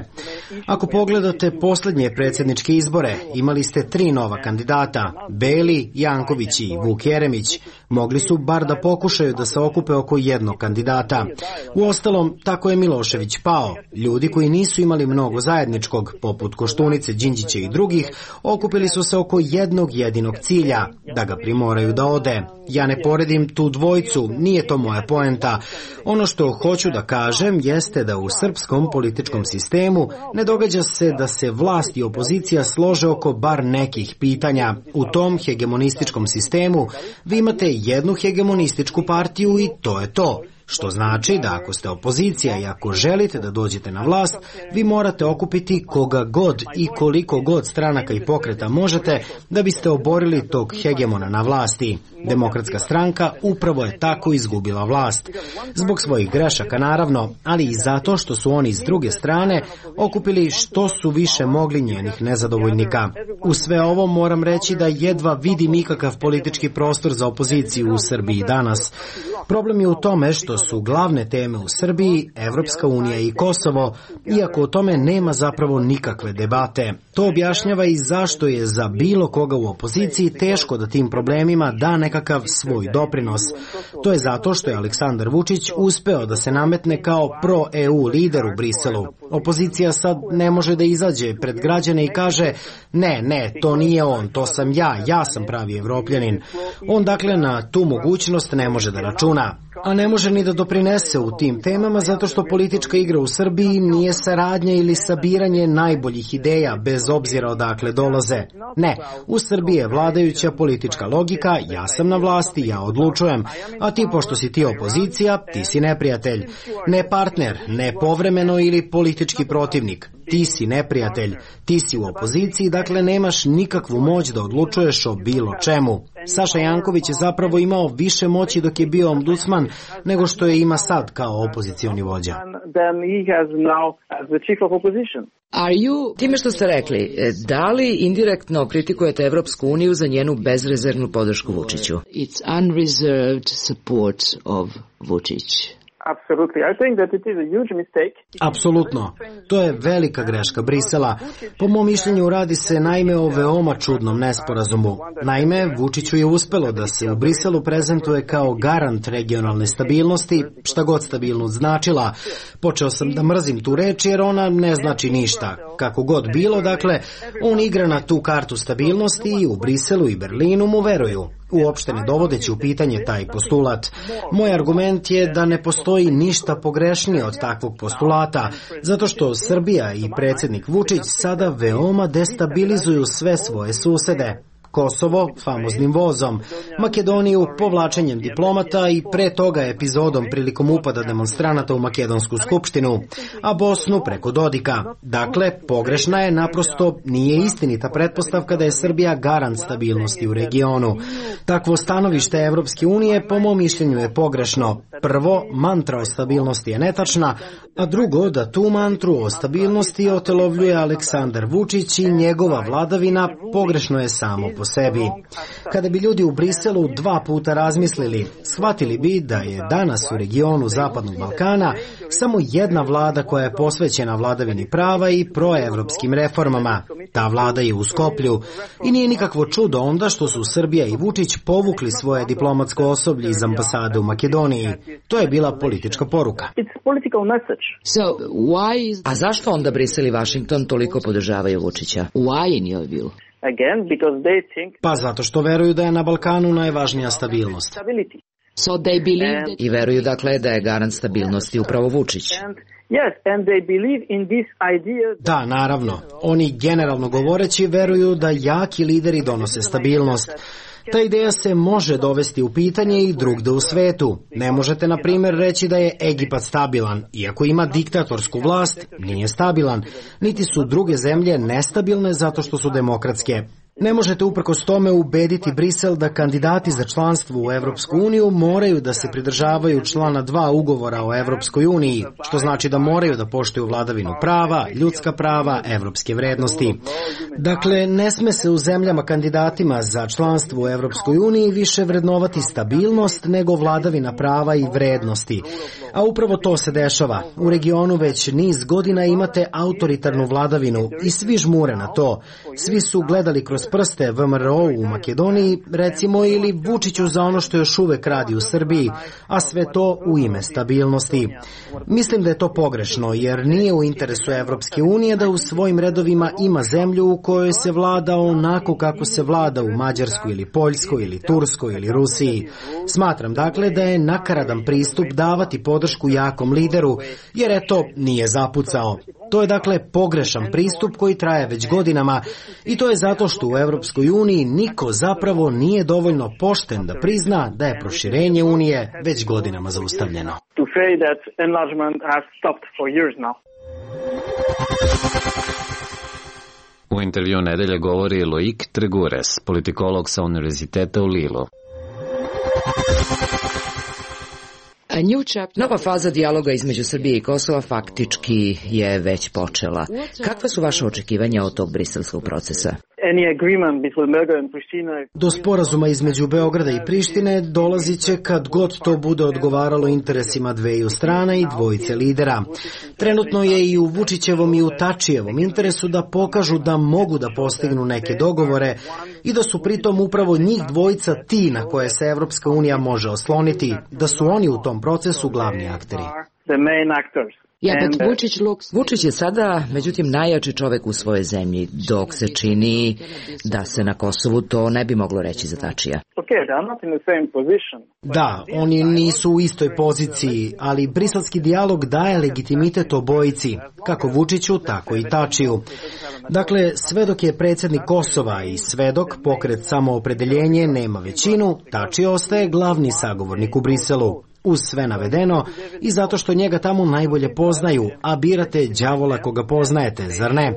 Ako pogledate posljednje predsjedničke izbore, imali ste 3 nova kandidata, Beli, Janković i Vuk Jeremić. Mogli su bar da pokušaju da se okupe oko jednog kandidata. Uostalom, tako je Milošević pao. Ljudi koji nisu imali mnogo zajedničkog, poput Koštunice, Đinđića i drugih, okupili su se oko jednog jedinog cilja, da ga primoraju da ode. Ja ne poredim tu dvojicu, nije to moja poenta. Ono što hoću da kažem jeste da u srpskom političkom sistemu ne događa se da se vlast i opozicija slože oko bar nekih pitanja. U tom hegemonističkom sistemu vi imate jednu hegemonističku partiju i to je to. Što znači da ako ste opozicija i ako želite da dođete na vlast, vi morate okupiti koga god i koliko god stranaka i pokreta možete da biste oborili tog hegemona na vlasti. Demokratska stranka upravo je tako izgubila vlast. Zbog svojih grešaka naravno, ali i zato što su oni s druge strane okupili što su više mogli njenih nezadovoljnika. U sve ovo moram reći da jedva vidim ikakav politički prostor za opoziciju u Srbiji danas. Problem je u tome što su glavne teme u Srbiji Evropska unija i Kosovo, iako o tome nema zapravo nikakve debate. To objašnjava i zašto je za bilo koga u opoziciji teško da tim problemima da nekakav svoj doprinos. To je zato što je Aleksandar Vučić uspeo da se nametne kao pro-EU lider u Briselu. Opozicija sad ne može da izađe pred građane i kaže: ne, to nije on, to sam ja sam pravi Evropljanin. On dakle na tu mogućnost ne može da računa. A ne može ni da doprinese u tim temama zato što politička igra u Srbiji nije saradnja ili sabiranje najboljih ideja bez obzira odakle dolaze. Ne, u Srbiji je vladajuća politička logika: ja sam na vlasti, ja odlučujem, a ti pošto si ti opozicija, ti si neprijatelj. Ne partner, ne povremeno ili politički protivnik. Ti si neprijatelj, ti si u opoziciji, dakle nemaš nikakvu moć da odlučuješ o bilo čemu. Saša Janković je zapravo imao više moći dok je bio ombudsman nego što je ima sad kao opozicioni vođa. Time što ste rekli, da li indirektno kritikujete Evropsku uniju za njenu bezrezervnu podršku Vučiću? It's unreserved support of Vučić. Apsolutno. To je velika greška Brisela. Po mom mišljenju radi se naime o veoma čudnom nesporazumu. Naime, Vučiću je uspelo da se u Briselu prezentuje kao garant regionalne stabilnosti, šta god stabilnost značila. Počeo sam da mrzim tu reč jer ona ne znači ništa. Kako god bilo, dakle, on igra na tu kartu stabilnosti i u Briselu i Berlinu mu veruju. Uopšte ne dovodeći u pitanje taj postulat. Moj argument je da ne postoji ništa pogrešnije od takvog postulata, zato što Srbija i predsjednik Vučić sada veoma destabilizuju sve svoje susede. Kosovo famoznim vozom, Makedoniju povlačenjem diplomata i pre toga epizodom prilikom upada demonstranata u Makedonsku skupštinu, a Bosnu preko Dodika. Dakle, pogrešna je, naprosto nije istinita pretpostavka da je Srbija garant stabilnosti u regionu. Takvo stanovište Evropske unije po mom mišljenju je pogrešno. Prvo, mantra o stabilnosti je netačna, a drugo, da tu mantru o stabilnosti otelovljuje Aleksandar Vučić i njegova vladavina pogrešno je samo po sebi. Kada bi ljudi u Briselu 2 puta razmislili, shvatili bi da je danas u regionu Zapadnog Balkana samo jedna vlada koja je posvećena vladavini prava i proevropskim reformama. Ta vlada je u Skoplju i nije nikakvo čudo onda što su Srbija i Vučić povukli svoje diplomatsko osoblje iz ambasade u Makedoniji. To je bila politička poruka. A zašto onda Brisel i Washington toliko podržavaju Vučića? Why in your view? Pa zato što veruju da je na Balkanu najvažnija stabilnost. I veruju dakle da je garant stabilnosti upravo Vučić. Da, naravno. Oni generalno govoreći veruju da jaki lideri donose stabilnost. Ta ideja se može dovesti u pitanje i drugde u svetu. Ne možete, na primjer, reći da je Egipat stabilan. Iako ima diktatorsku vlast, nije stabilan. Niti su druge zemlje nestabilne zato što su demokratske. Ne možete uprkos tome ubediti Brisel da kandidati za članstvo u Evropsku uniju moraju da se pridržavaju člana 2 ugovora o Evropskoj uniji, što znači da moraju da poštuju vladavinu prava, ljudska prava, evropske vrednosti. Dakle, ne sme se u zemljama kandidatima za članstvo u Evropskoj uniji više vrednovati stabilnost nego vladavina prava i vrednosti. A upravo to se dešava. U regionu već niz godina imate autoritarnu vladavinu i svi žmure na to. Svi su gledali kroz prste VMRO u Makedoniji, recimo, ili Vučiću za ono što još uvek radi u Srbiji, a sve to u ime stabilnosti. Mislim da je to pogrešno, jer nije u interesu Evropske unije da u svojim redovima ima zemlju u kojoj se vlada onako kako se vlada u Mađarskoj ili Poljskoj ili Turskoj ili Rusiji. Smatram dakle da je nakaradan pristup davati podršku jakom lideru, jer eto nije zapucao. To je dakle pogrešan pristup koji traje već godinama i to je zato što u Evropskoj uniji niko zapravo nije dovoljno pošten da prizna da je proširenje Unije već godinama zaustavljeno. U intervju nedelje govori Loic Tregures, politikolog sa Univerziteta u Lilu. Nova faza dijaloga između Srbije i Kosova faktički je već počela. Kakva su vaše očekivanja od tog briselskog procesa? Do sporazuma između Beograda i Prištine dolazit će kad god to bude odgovaralo interesima dveju strana i dvojice lidera. Trenutno je i u Vučićevom i u Tačijevom interesu da pokažu da mogu da postignu neke dogovore i da su pritom upravo njih dvojica ti na koje se Evropska unija može osloniti, da su oni u tom procesu glavni akteri. Vučić je sada, međutim, najjači čovek u svojoj zemlji, dok se čini da se na Kosovu to ne bi moglo reći za Tačija. Da, oni nisu u istoj poziciji, ali briselski dijalog daje legitimitet obojici, kako Vučiću, tako i Tačiju. Dakle, sve dok je predsjednik Kosova i sve dok pokret Samoopredeljenje nema većinu, Tači ostaje glavni sagovornik u Briselu. Uz sve navedeno i zato što njega tamo najbolje poznaju, a birate đavola koga poznajete, zar ne?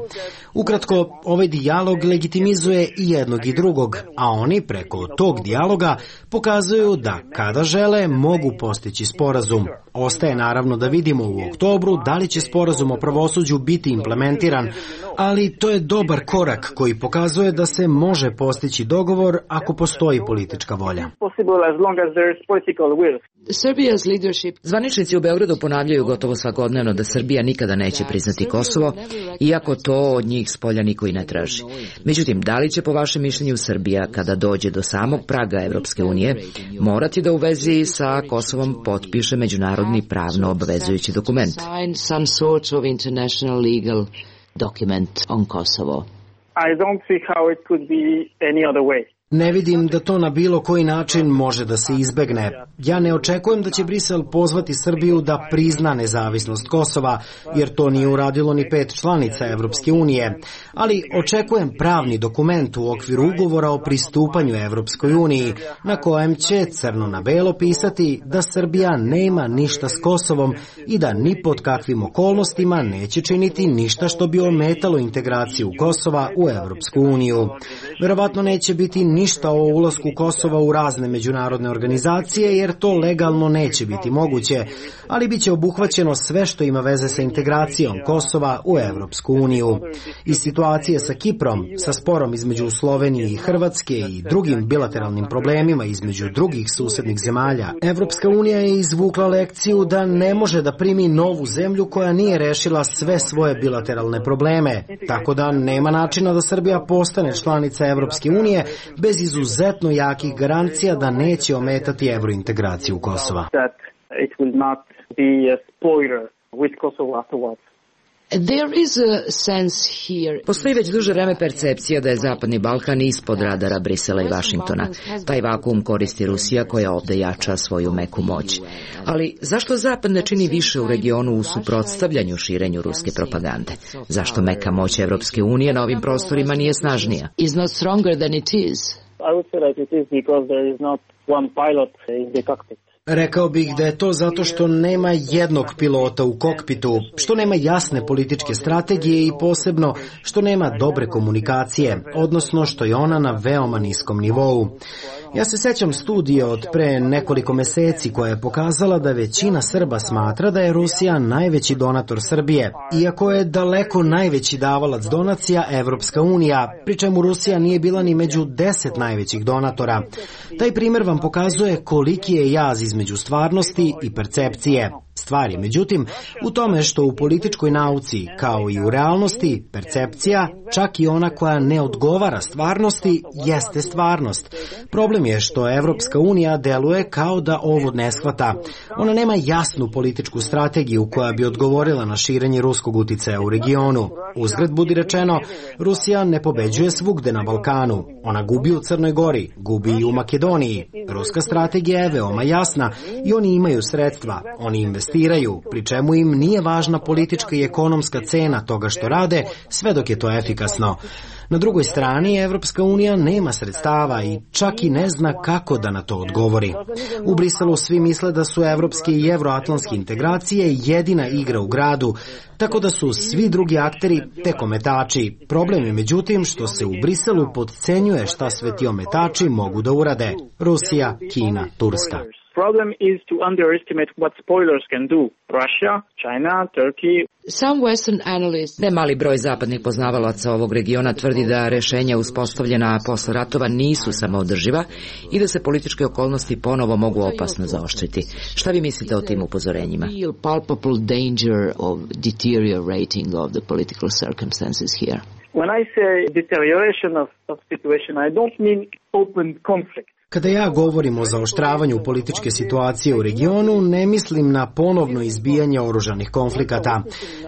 Ukratko, ovaj dijalog legitimizuje i jednog i drugog, a oni preko tog dijaloga pokazuju da kada žele mogu postići sporazum. Ostaje naravno da vidimo u oktobru da li će sporazum o pravosuđu biti implementiran, ali to je dobar korak koji pokazuje da se može postići dogovor ako postoji politička volja. Zvaničnici u Beogradu ponavljaju gotovo svakodnevno da Srbija nikada neće priznati Kosovo, iako to od njih spolja niko i ne traži. Međutim, da li će po vašem mišljenju Srbija, kada dođe do samog praga Evropske unije, morati da u vezi sa Kosovom potpiše međunarodni pravno obvezujući dokument? Ne vidim da to na bilo koji način može da se izbegne. Ja ne očekujem da će Brisel pozvati Srbiju da prizna nezavisnost Kosova, jer to nije uradilo ni 5 članica Evropske unije, ali očekujem pravni dokument u okviru ugovora o pristupanju Evropskoj uniji, na kojem će crno na belo pisati da Srbija nema ništa s Kosovom i da ni pod kakvim okolnostima neće činiti ništa što bi ometalo integraciju Kosova u Evropsku uniju. Verovatno neće biti ništa o ulasku Kosova u razne međunarodne organizacije, jer to legalno neće biti moguće, ali biće obuhvaćeno sve što ima veze sa integracijom Kosova u Evropsku uniju. Iz situacije sa Kiprom, sa sporom između Slovenije i Hrvatske i drugim bilateralnim problemima između drugih susednih zemalja, Evropska unija je izvukla lekciju da ne može da primi novu zemlju koja nije rešila sve svoje bilateralne probleme, tako da nema načina da Srbija postane članica Evropske unije bez izuzetno jakih garancija da neće ometati evrointegraciju Kosova. Postoji već duže vreme percepcija da je Zapadni Balkan ispod radara Brisela i Vašingtona. Taj vakuum koristi Rusija koja ovde jača svoju meku moć. Ali zašto Zapad ne čini više u regionu u suprotstavljanju širenju ruske propagande? Zašto meka moć Evropske unije na ovim prostorima nije snažnija? Rekao bih da je to zato što nema jednog pilota u kokpitu, što nema jasne političke strategije i posebno što nema dobre komunikacije, odnosno što je ona na veoma niskom nivou. Ja se sećam studije od pre nekoliko meseci koja je pokazala da većina Srba smatra da je Rusija najveći donator Srbije, iako je daleko najveći davalac donacija Evropska unija, pri čemu Rusija nije bila ni među 10 najvećih donatora. Taj primer vam pokazuje koliki je jaz između stvarnosti i percepcije. Stvar je, međutim, u tome što u političkoj nauci, kao i u realnosti, percepcija, čak i ona koja ne odgovara stvarnosti, jeste stvarnost. Problem je što Evropska unija deluje kao da ovo ne shvata. Ona nema jasnu političku strategiju koja bi odgovorila na širenje ruskog uticaja u regionu. Uzgred budi rečeno, Rusija ne pobeđuje svugde na Balkanu. Ona gubi u Crnoj Gori, gubi i u Makedoniji. Ruska strategija je veoma jasna i oni imaju sredstva, oni investiraju, pri čemu im nije važna politička i ekonomska cena toga što rade, sve dok je to efikasno. Na drugoj strani, Evropska unija nema sredstava i čak i ne zna kako da na to odgovori. U Briselu svi misle da su evropske i evroatlantske integracije jedina igra u gradu, tako da su svi drugi akteri tek ometači. Problem je međutim što se u Briselu potcenjuje šta sve ti ometači mogu da urade. Rusija, Kina, Turska. Problem is to underestimate what spoilers can do. Russia, China, Turkey. Nemali broj zapadnih poznavalaca ovog regiona tvrdi da rešenja uspostavljena posle ratova nisu samoodrživa i da se političke okolnosti ponovo mogu opasno zaoštriti. Šta vi mislite o tim upozorenjima? When I say deterioration of situation, I don't mean open conflict. Kada ja govorim o zaoštravanju političke situacije u regionu, ne mislim na ponovno izbijanje oružanih konflikata.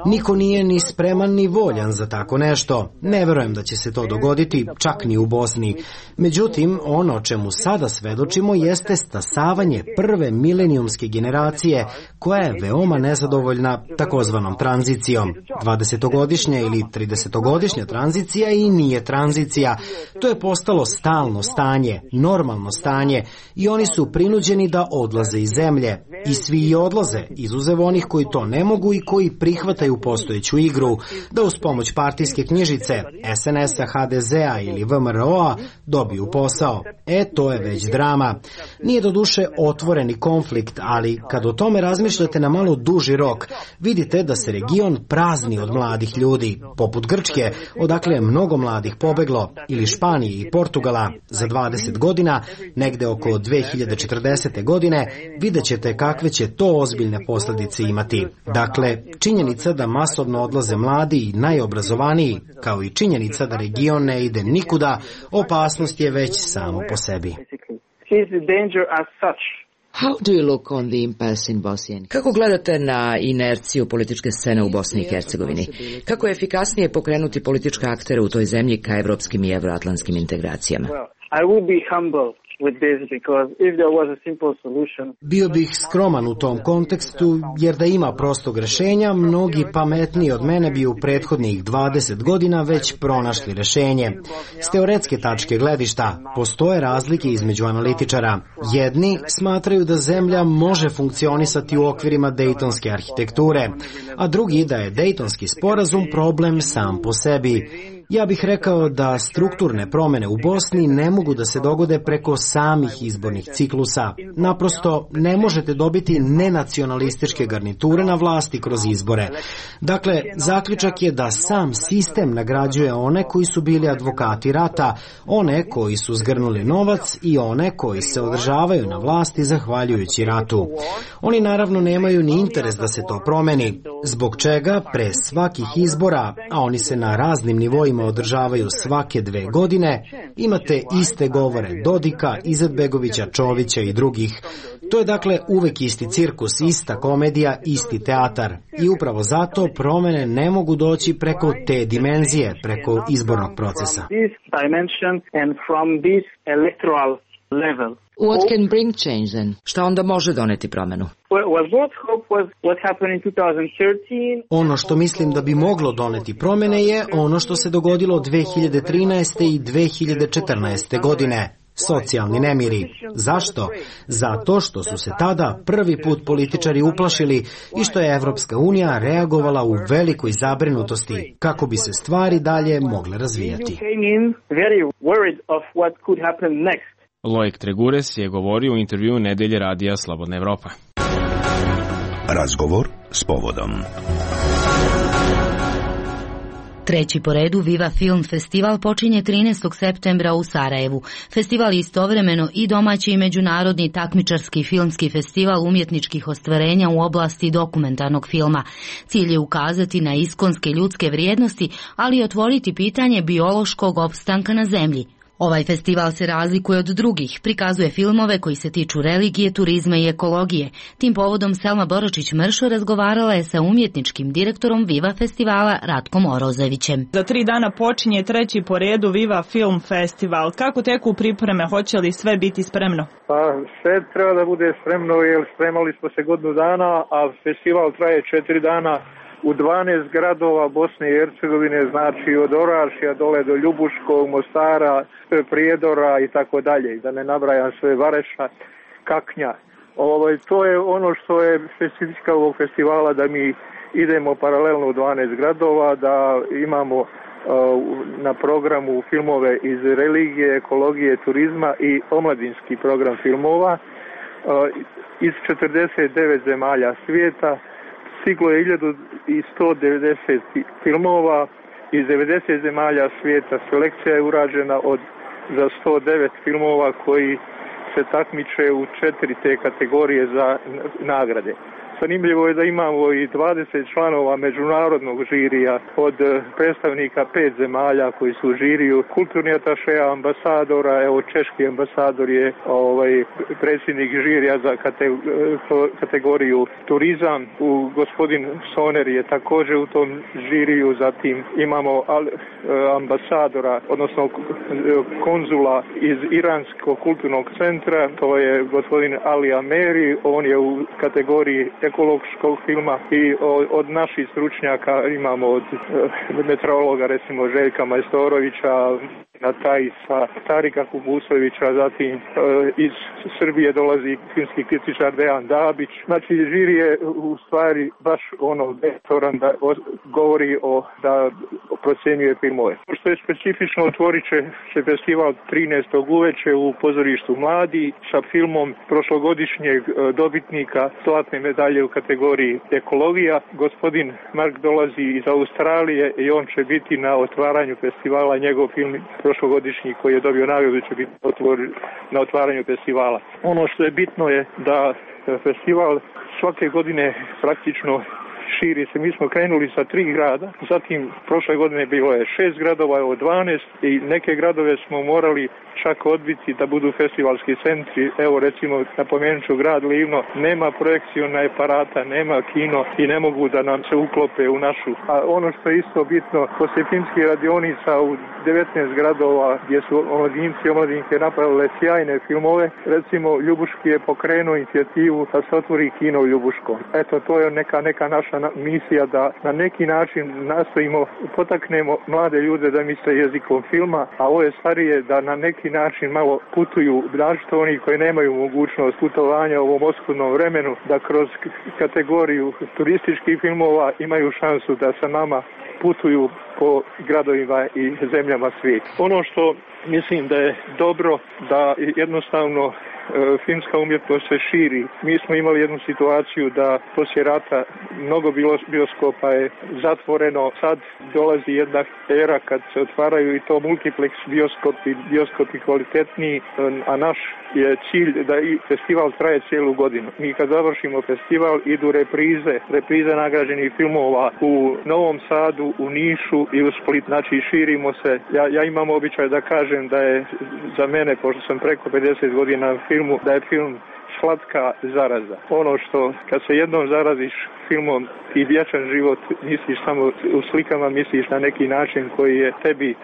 Niko nije ni spreman ni voljan za tako nešto. Ne verujem da će se to dogoditi, čak ni u Bosni. Međutim, ono čemu sada svedočimo jeste stasavanje prve milenijumske generacije koja je veoma nezadovoljna takozvanom tranzicijom. 20-godišnja ili 30-godišnja tranzicija i nije tranzicija. To je postalo stalno stanje, normalno stanje i oni su prinuđeni da odlaze iz zemlje. I svi i odlaze, izuzev onih koji to ne mogu i koji prihvataju postojeću igru, da uz pomoć partijske knjižice, SNS-a, HDZ-a ili VMRO-a dobiju posao. To je već drama. Nije doduše otvoreni konflikt, ali kad o tome razmišljate na malo duži rok, vidite da se region prazni od mladih ljudi, poput Grčke, odakle je mnogo mladih pobeglo, ili Španije i Portugala. Za 20 godina, negde oko 2040. godine, vidjet ćete kakve će to ozbiljne posljedice imati. Dakle, činjenica da masovno odlaze mladi i najobrazovaniji, kao i činjenica da region ne ide nikuda, opasnost je već samo po sebi. Kako gledate na inerciju političke scene u Bosni i Hercegovini? Kako je efikasnije pokrenuti političke aktere u toj zemlji ka evropskim i evroatlantskim integracijama? Bio bih skroman u tom kontekstu, jer da ima prostog rešenja, mnogi pametniji od mene bi u prethodnih 20 godina već pronašli rešenje. S teoretske tačke gledišta postoje razlike između analitičara. Jedni smatraju da zemlja može funkcionisati u okvirima dejtonske arhitekture, a drugi da je dejtonski sporazum problem sam po sebi. Ja bih rekao da strukturne promene u Bosni ne mogu da se dogode preko samih izbornih ciklusa. Naprosto ne možete dobiti nenacionalističke garniture na vlasti kroz izbore. Dakle, zaključak je da sam sistem nagrađuje one koji su bili advokati rata, one koji su zgrnuli novac i one koji se održavaju na vlasti zahvaljujući ratu. Oni naravno nemaju ni interes da se to promeni, zbog čega pre svakih izbora, a oni se na raznim nivoima održavaju svake 2 godine, imate iste govore Dodika, Izetbegovića, Čovića i drugih. To je dakle uvek isti cirkus, ista komedija, isti teatar. I upravo zato promene ne mogu doći preko te dimenzije, preko izbornog procesa. What can bring change then? Šta onda može doneti promenu? Ono što mislim da bi moglo doneti promene je ono što se dogodilo 2013. i 2014. godine. Socijalni nemiri. Zašto? Zato što su se tada prvi put političari uplašili i što je Evropska unija reagovala u velikoj zabrinutosti kako bi se stvari dalje mogle razvijati. Loik Tregures je govorio u intervjuu Nedelje radija Slobodna Evropa. Razgovor s povodom. Treći po redu Viva Film Festival počinje 13. septembra u Sarajevu. Festival je istovremeno i domaći i međunarodni takmičarski filmski festival umjetničkih ostvarenja u oblasti dokumentarnog filma. Cilj je ukazati na iskonske ljudske vrijednosti, ali i otvoriti pitanje biološkog opstanka na zemlji. Ovaj festival se razlikuje od drugih, prikazuje filmove koji se tiču religije, turizma i ekologije. Tim povodom Selma Boročić-Mršo razgovarala je sa umjetničkim direktorom Viva festivala Ratkom Orozevićem. Za 3 dana počinje treći po redu Viva Film Festival. Kako teku pripreme, hoće li sve biti spremno? Pa sve treba da bude spremno jer spremali smo se godinu dana, a festival traje 4 dana. U 12 gradova Bosne i Hercegovine, znači od Orašja dole do Ljubuškog, Mostara, Prijedora i tako dalje, da ne nabrajam sve, Vareša, Kaknja. To je ono što je specifika ovog festivala, da mi idemo paralelno u 12 gradova, da imamo na programu filmove iz religije, ekologije, turizma i omladinski program filmova iz 49 zemalja svijeta. Stiglo je 1190 filmova iz 90 zemalja svijeta. Selekcija je urađena za 109 filmova koji se takmiče u 4 te kategorije za nagrade. Zanimljivo je da imamo i 20 članova međunarodnog žirija od predstavnika 5 zemalja koji su u žiriju, kulturni atašeja, ambasadora, evo češki ambasador je predsjednik žirija za kategoriju turizam, gospodin Soner je također u tom žiriju, zatim imamo ambasadora, odnosno konzula iz Iranskog kulturnog centra, to je gospodin Ali Ameri, on je u kategoriji ekološkog filma i od naših stručnjaka imamo od meteorologa recimo Željka Majstorovića, na taj sa Tarika Kubusovića, zatim iz Srbije dolazi filmski kritičar Dejan Dabić. Znači, žiri je u stvari baš vektoran da govori da procjenjuje filmove. Što je specifično, otvorit će se festival 13. uveče u pozorištu Mladi sa filmom prošlogodišnjeg dobitnika zlatne medalje u kategoriji ekologija. Gospodin Mark dolazi iz Australije i on će biti na otvaranju festivala. Njegov film prošlogodišnji koji je dobio nagradu će biti na otvaranju festivala. Ono što je bitno je da festival svake godine praktično širi se. Mi smo krenuli sa 3 grada, zatim prošle godine bilo je 6 gradova, evo 12 i neke gradove smo morali čak odbiti da budu festivalski centri. Evo recimo napomenut ću grad Livno, nema projekcijona aparata, nema kino i ne mogu da nam se uklope u našu. A ono što je isto bitno, poslije filmskih radionica u 19 gradova gdje su omladinci i omladinke napravile sjajne filmove, recimo Ljubuški je pokrenuo inicijativu da se otvori kino u Ljubuškom. Eto, to je neka naša misija da na neki način nastojimo, potaknemo mlade ljude da misle jezikom filma, a ove starije da na neki način malo putuju, našto oni koji nemaju mogućnost putovanja u ovom oskudnom vremenu, da kroz kategoriju turističkih filmova imaju šansu da sa nama putuju po gradovima i zemljama svijeta. Ono što mislim da je dobro, da jednostavno filmska umjetnost se širi. Mi smo imali jednu situaciju da poslije rata mnogo bioskopa je zatvoreno. Sad dolazi jedna era kad se otvaraju i to multiplex bioskopi kvalitetniji, a naš je cilj da i festival traje cijelu godinu. Mi kad završimo festival idu reprize nagrađenih filmova u Novom Sadu, u Nišu i u Split. Znači širimo se. Ja imam običaj da kažem da je za mene, pošto sam preko 50 godina filmu, da je film slatka zaraza. Ono što kad se jednom zaraziš filmom i vječan život, misliš samo u slikama, misliš na neki način koji je tebi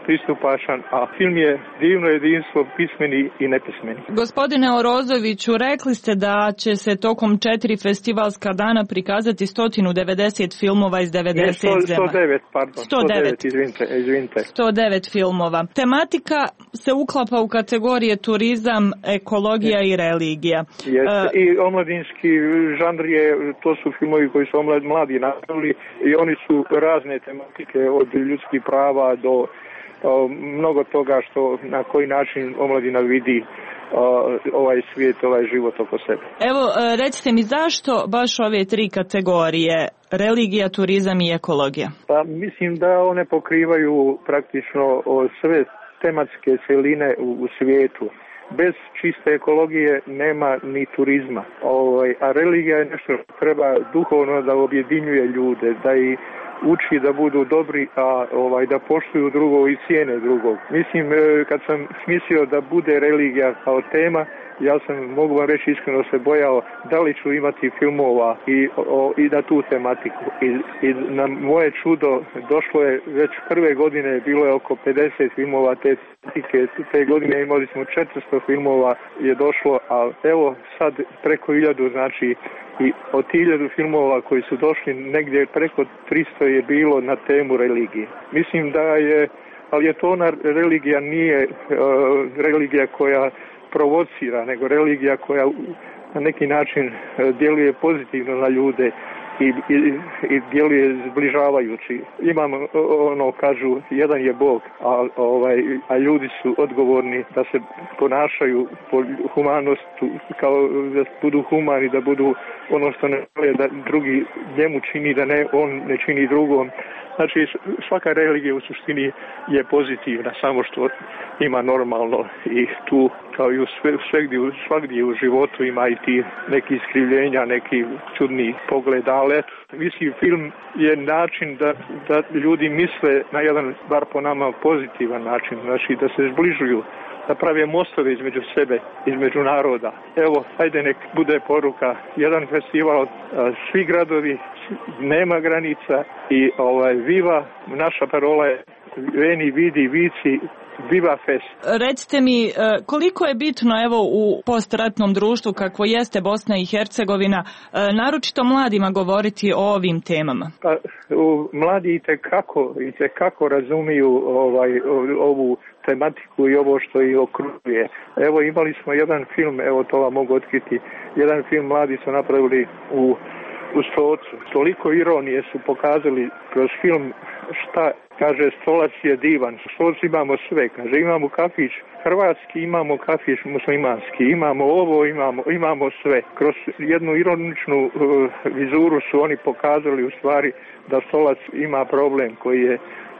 pristupačan, a film je divno jedinstvo, pismeni i nepismeni. Gospodine Orozoviću, rekli ste da će se tokom 4 festivalska dana prikazati 190 filmova iz 90 zemalja. 109, izvinite. 109 filmova. Tematika se uklapa u kategorije turizam, ekologija i religija. I omladinski žanr je, to su filmovi koji su mladi napravili i oni su razne tematike od ljudskih prava do mnogo toga što na koji način omladina vidi ovaj svijet, ovaj život oko sebe. Evo, recite mi zašto baš ove 3 kategorije, religija, turizam i ekologija? Pa mislim da one pokrivaju praktično sve tematske celine u svijetu. Bez čiste ekologije nema ni turizma. A religija je nešto što treba duhovno da objedinjuje ljude, da ih uči da budu dobri, a da poštuju drugog i cijene drugog. Mislim, kad sam mislio da bude religija kao tema, ja sam, mogu vam reći iskreno, se bojao da li ću imati filmova i na tu tematiku. I na moje čudo došlo je već prve godine, bilo je oko 50 filmova te tematike. Te godine imali smo 400 filmova je došlo, a evo sad preko 1000, znači i od 1000 filmova koji su došli negdje preko 300 je bilo na temu religije. Mislim da je, ali je to ona religija, nije religija koja provocira, nego religija koja na neki način djeluje pozitivno na ljude i djeluje zbližavajući. Imamo, kažu, jedan je Bog, a ljudi su odgovorni da se ponašaju po humanosti, kao da budu humani, da budu ono što ne žele da drugi njemu čini, da ne on ne čini drugom. Znači, svaka religija u suštini je pozitivna, samo što ima normalno i tu, kao i svagdje u životu ima i ti neki iskrivljenja, neki čudni pogled, ali mislim, film je način da ljudi misle na jedan, bar po nama, pozitivan način, znači da se zbližuju, da prave mostove između sebe, između naroda. Evo, ajde nek bude poruka, jedan festival, svi gradovi, nema granica i viva, naša parola je veni, vidi, vici, Viva Fest. Recite mi, koliko je bitno evo u postratnom društvu kakvo jeste Bosna i Hercegovina, naročito mladima govoriti o ovim temama? Pa, mladi itekako razumiju ovu tematiku i ovo što ih okružuje. Evo imali smo jedan film, evo to vam mogu otkriti, jedan film mladi su napravili u Stocu. Toliko ironije su pokazali kroz film šta kaže Stolac je divan. Stoc imamo sve, kaže imamo kafić hrvatski, imamo kafić muslimanski, imamo ovo, imamo sve. Kroz jednu ironičnu vizuru su oni pokazali u stvari da Stolac ima problem koji je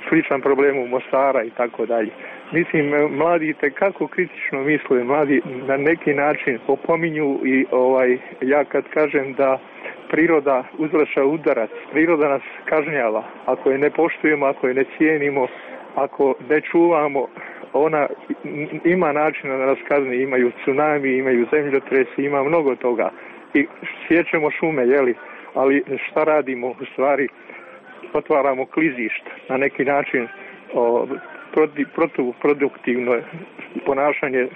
sličan problemu Mostara i tako dalje. Mislim, mladi tekako kritično misle, mladi na neki način opominju i ja kad kažem da priroda uzvrša udarac, priroda nas kažnjava. Ako je ne poštujemo, ako je ne cijenimo, ako ne čuvamo, ona ima načina da nas kazni, imaju tsunami, imaju zemljotresi, ima mnogo toga. I sjećemo šume, ali šta radimo u stvari? Otvaramo klizišta, na neki način protuproduktivno ponašanje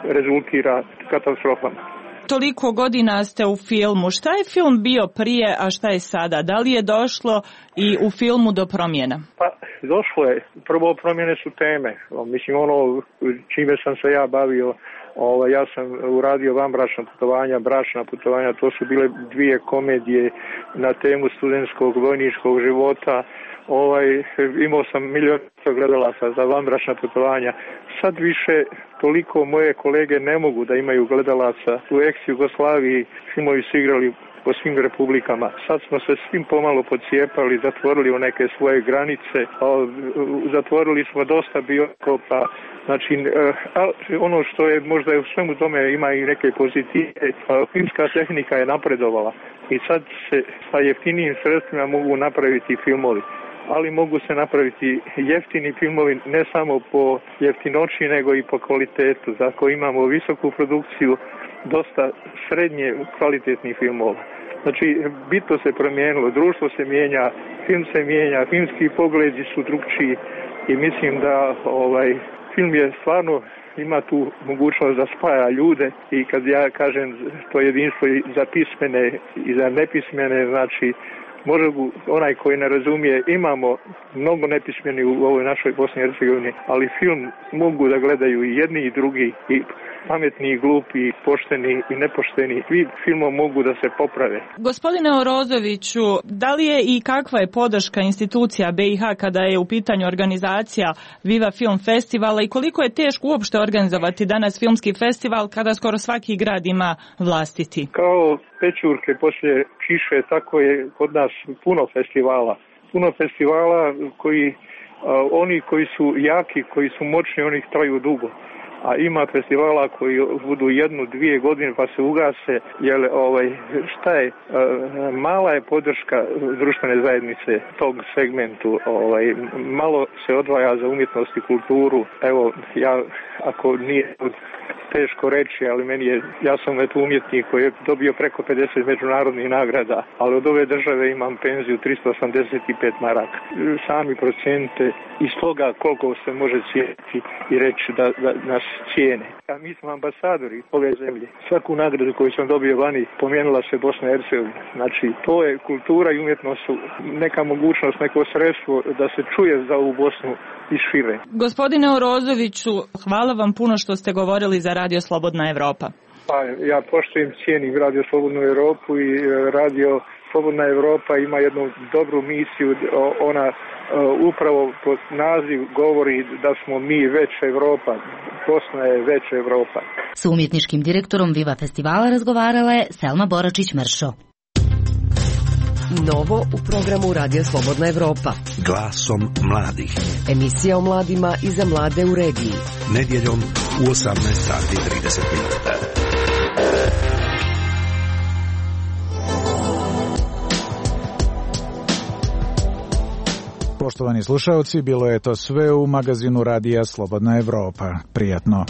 rezultira katastrofama. Toliko godina ste u filmu. Šta je film bio prije, a šta je sada? Da li je došlo i u filmu do promjena? Pa, došlo je. Prvo promjene su teme. Mislim, čime sam se ja bavio, ja sam uradio vanbračna putovanja, bračna putovanja, to su bile 2 komedije na temu studentskog vojničkog života. Imao sam milion gledalaca za vanbračna putovanja. Sad više toliko moje kolege ne mogu da imaju gledalaca. U ex-Jugoslaviji filmovi su igrali po svim republikama. Sad smo se svim pomalo podcijepali, zatvorili u neke svoje granice, zatvorili smo dosta bioskopa. Znači, ono što je možda u svemu tome ima i neke pozitive, filmska tehnika je napredovala i sad se sa jeftinijim sredstvima mogu napraviti filmovi. Ali mogu se napraviti jeftini filmovi ne samo po jeftinoći nego i po kvalitetu. Zato imamo visoku produkciju, dosta srednje kvalitetnih filmova. Znači, bitno se promijenilo, društvo se mijenja, film se mijenja, filmski pogledi su drugčiji i mislim da film je stvarno ima tu mogućnost da spaja ljude i kad ja kažem to jedinstvo i za pismene i za nepismene, znači može onaj koji ne razumije, imamo mnogo nepismeni u ovoj našoj Bosni i Hercegovini, ali film mogu da gledaju i jedni i drugi, i pametni i glupi, i pošteni i nepošteni. Svi filmom mogu da se poprave. Gospodine Orozoviću, da li je i kakva je podrška institucija BiH kada je u pitanju organizacija Viva Film Festivala i koliko je teško uopšte organizovati danas filmski festival kada skoro svaki grad ima vlastiti? Kao pečurke poslije kiše, tako je kod nas puno festivala. Puno festivala koji, oni koji su jaki, koji su moćni, oni traju dugo. A ima festivala koji budu 1-2 godine pa se ugase, jer šta je, mala je podrška društvene zajednice tog segmentu, malo se odvaja za umjetnost i kulturu. Evo, ja, ako nije teško reći, ali ja sam umjetnik koji je dobio preko 50 međunarodnih nagrada, ali od ove države imam penziju 385 maraka. Sami procenite iz toga koliko se može cijeniti i reći da nas cijene. A mi smo ambasadori ove zemlje. Svaku nagradu koju sam dobio vani pomenula se Bosna i Hercegovina. Znači, to je kultura i umjetnost, neka mogućnost, neko sredstvo da se čuje za ovu Bosnu i šire. Gospodine Orozoviću, hvala vam puno što ste govorili za Radio Slobodna Evropa. Pa, ja poštujem, cijenim Radio Slobodnu Evropu i Radio Slobodna Evropa ima jednu dobru misiju, ona upravo pod naziv govori da smo mi veća Evropa, Bosna je veća Evropa. S umjetničkim direktorom Viva festivala razgovarala je Selma Boračić-Mršo. Novo u programu Radio Slobodna Evropa. Glasom mladih. Emisija o mladima i za mlade u regiji. Nedjeljom u 18:30. Poštovani slušaoci, bilo je to sve u magazinu Radija Slobodna Evropa. Prijatno.